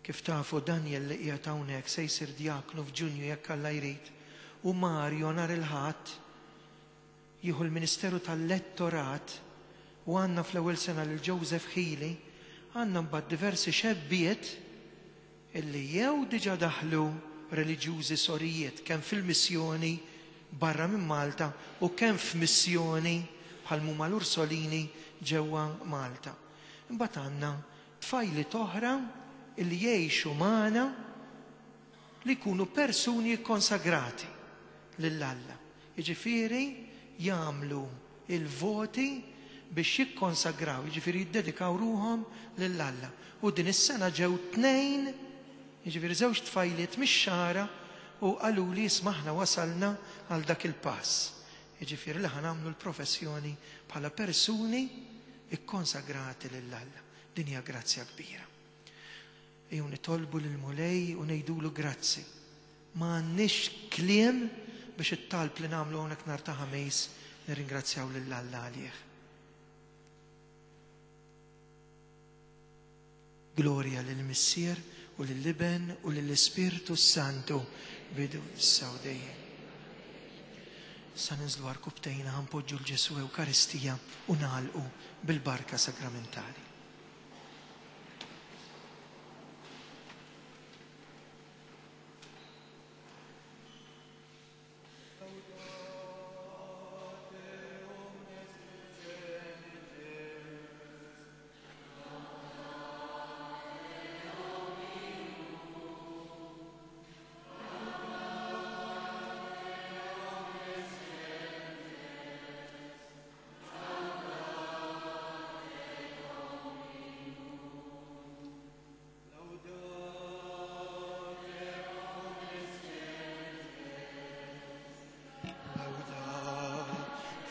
Kif tafu, Daniel li qiegħed hawnhekk se jsir djaknu f'Ġunju jekk Alla jrid, u Mario nhar il-Ħadd jieħu l-ministeru tal-lettorat u għandna fl-ewwel sena lil Joseph Hili, għandna mbagħad diversi xebbiet illi jew diġà daħlu reliġjużi sorijiet kemm fil-missjoni barra minn Malta u kemm f'missjoni bħal m'huma l-Ursolini ġewwa Malta. Imbagħad għandna tfajliet oħra li jgħixu magħna li jkunu persuni kkonsagrati lil Alla. Jiġifieri jagħmlu l-voti biex jikkonsagraw, jiġifieri jiddedikaw ruħhom lil Alla. U din is-sena ġew tnejn, jiġifieri żewġ tfajliet mix-Xagħra u qaluli isma' aħna wasalna għal dak il-pass. Jiġifieri li ħa nagħmlu l-professjoni bħala persuni kkonsagrati lil Alla. Din hija grazzja kbira. Ejjew nitolbu lill-Mulej u ngħidulu grazzi. Ma għandniex kliem biex it-talb li nagħmlu hawnhekk nhar ta' Ħamis nirringrazzjaw lil Alla għalih. Glorja lill-Missier u lill-Iben u lill-Ispirtu s-Santu, bidu, issa u dejjem. Issa ninżlu għarkupptejna ħa npoġġu 'l Ġesù Ewkaristija u nagħlqu bil-barka sagramentali.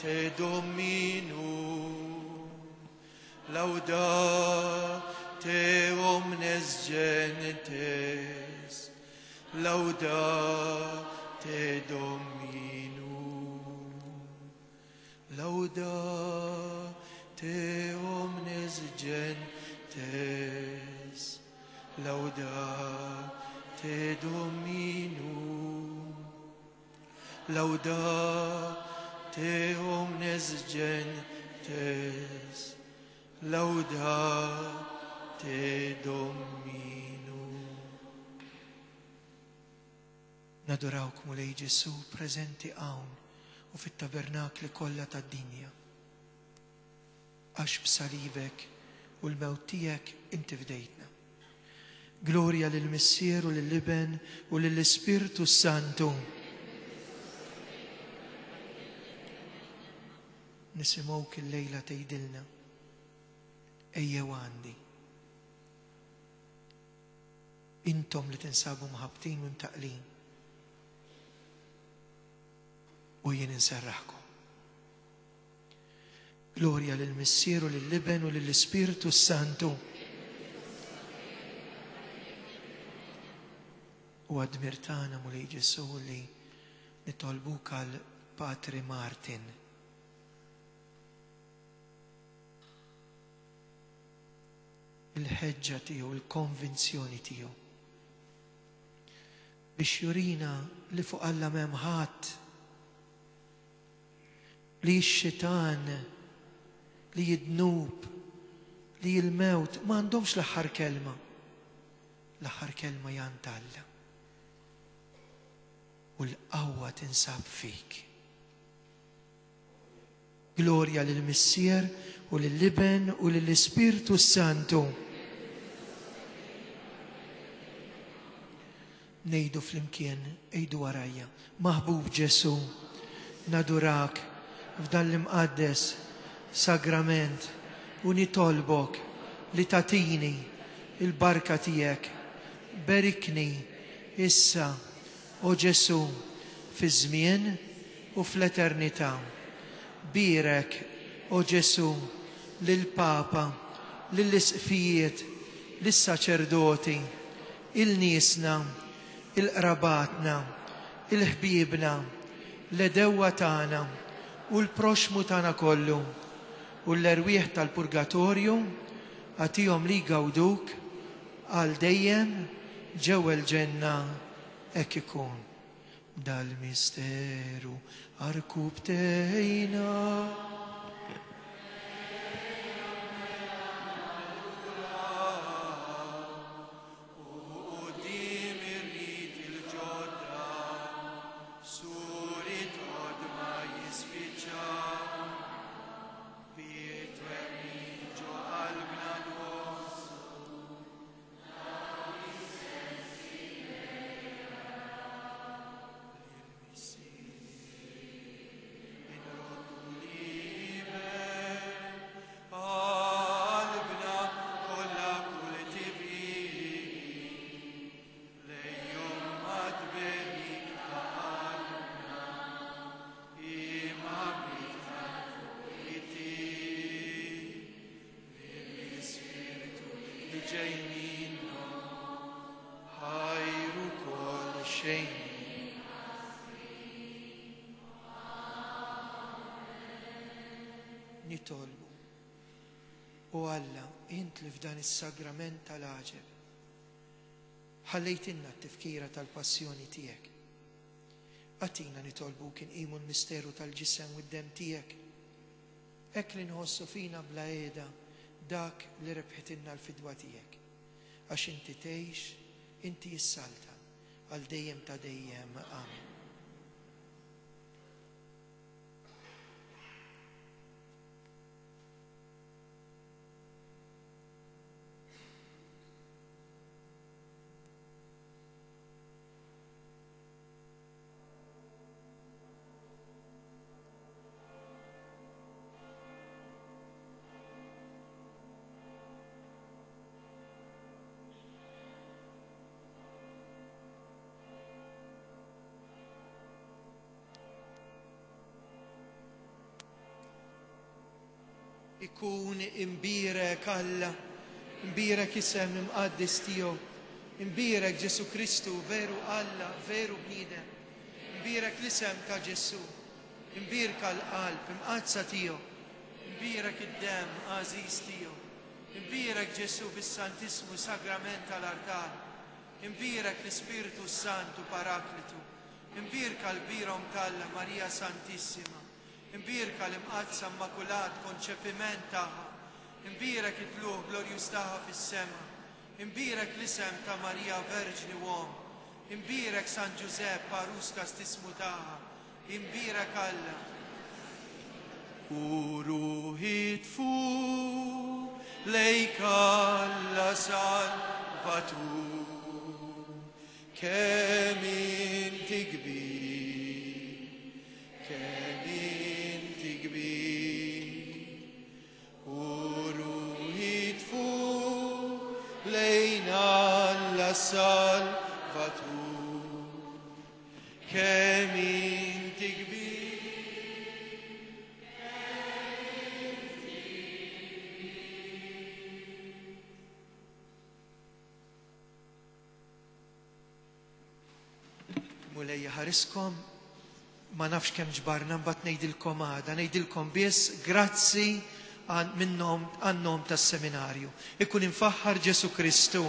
Laudate Dominum, laudate omnes gentes, laudate Dominum, laudate omnes gentes, laudate Dominum, laudate omnes gentes, laudate Dominum. Nadurawk Mulej Ġesù preżenti hawn u fit-tabernakli kollha tad-dinja. Għax b'salibek u l-mewt tiegħek inti fdejtna. Glorja lill-Missier u lill-Iben u lill-Ispirtu s-Santu. Nisimgħuk illejla tgħidilna, Ejjew għandi. Intom li tinsabu mħabbtin u mtaqqlin. U jien inserraħkom. Glorja lill-Missier u lill-Iben u lill-Ispirtu s-Santu. U għad-dmir tagħna Mulej Ġesù li nitolbuk għal Patri Martin. Il-ħeġġa tiegħu, il-konvinzjoni tiegħu. Biex jurina li fuq Alla m'hemm ħadd Li x-xitan, li d-dnub, li l-mewt ma għandhomx l-aħħar kelma. L-aħħar kelma hi għand Alla. U l-qawwa tinsab fik. Glorja lill-Missier u lill-Iben u lill-Ispirtu s-Santu. Ngħidu flimkien, għidu warajja, Maħbub Ġesù, nadurak f'dan l-imqaddes sagrament u nitolbok li tagħtini l-barka tiegħek. Berikni issa, o Ġesù, fiż-żmien u fl-eternità. Bierek, o Ġesù, lill-Papa, lill-Isqfijiet, lis-saċerdoti, 'il niesna, 'il qrabatna, 'il ħbiebna, l-għedewwa tagħna u l-proxxmu tagħna kollu, u l-erwieħ tal-purgatorju agħtihom li jgawduk għal dejjem ġewwa l-ġenna hekk ikun. Dal-misteru għarkubtejna. Nitolbu. O Alla, int li f'dan is-sagrament tal-għaġeb ħallejtilna t-tifkira tal-passjoni tiegħek. Agħtina nitolbuk inqimu l-misteru tal-ġisem u d-demm tiegħek, hekk li nħossu fina bla qiegħda dak li rebħitilna l-fidwa tiegħek. Għax inti tgħix, inti issaltan għal dejjem ta' dejjem. Amen. Ikun imbierek Alla, imbierek isem imqaddes tiegħu, imbierek Ġesù Kristu, veru Alla, veru bniedem, imbierek l-isem ta' Ġesù, imbierka l-qalb imqaddsa tiegħu, imbierek id-demm għażiż tiegħu, imbierek Ġesù fis-Santissmu Sagrament tal-artal, imbierek l-Ispirtu s-Santu Paraklitu, imbierka l-kbira Omm t'Alla Marija Santissima, Imbierka l-Imqaddsa Immakulat Konċepiment tagħha. Imbierek it-tlugħ glorjuż tagħha fis-sema. Imbierek l-isem ta' Marija Verġni u Omm. Imbierek San Ġużepp għarus kastismu tagħha. Imbierek Alla. U ruħi tfur lejk Alla Salvatur. Kemm inti kbir, kemm inti kbir, u ruħi tfur lejn Alla Salvatur. Kemm inti kbir, Mulej jaħariskom, ma nafx kemm ġbarna mbagħad ngħidilkom għada, ngħidilkom biss grazzi minnhom għan-nom tas-seminarju. Ikun imfaħħar Ġesu Kristu.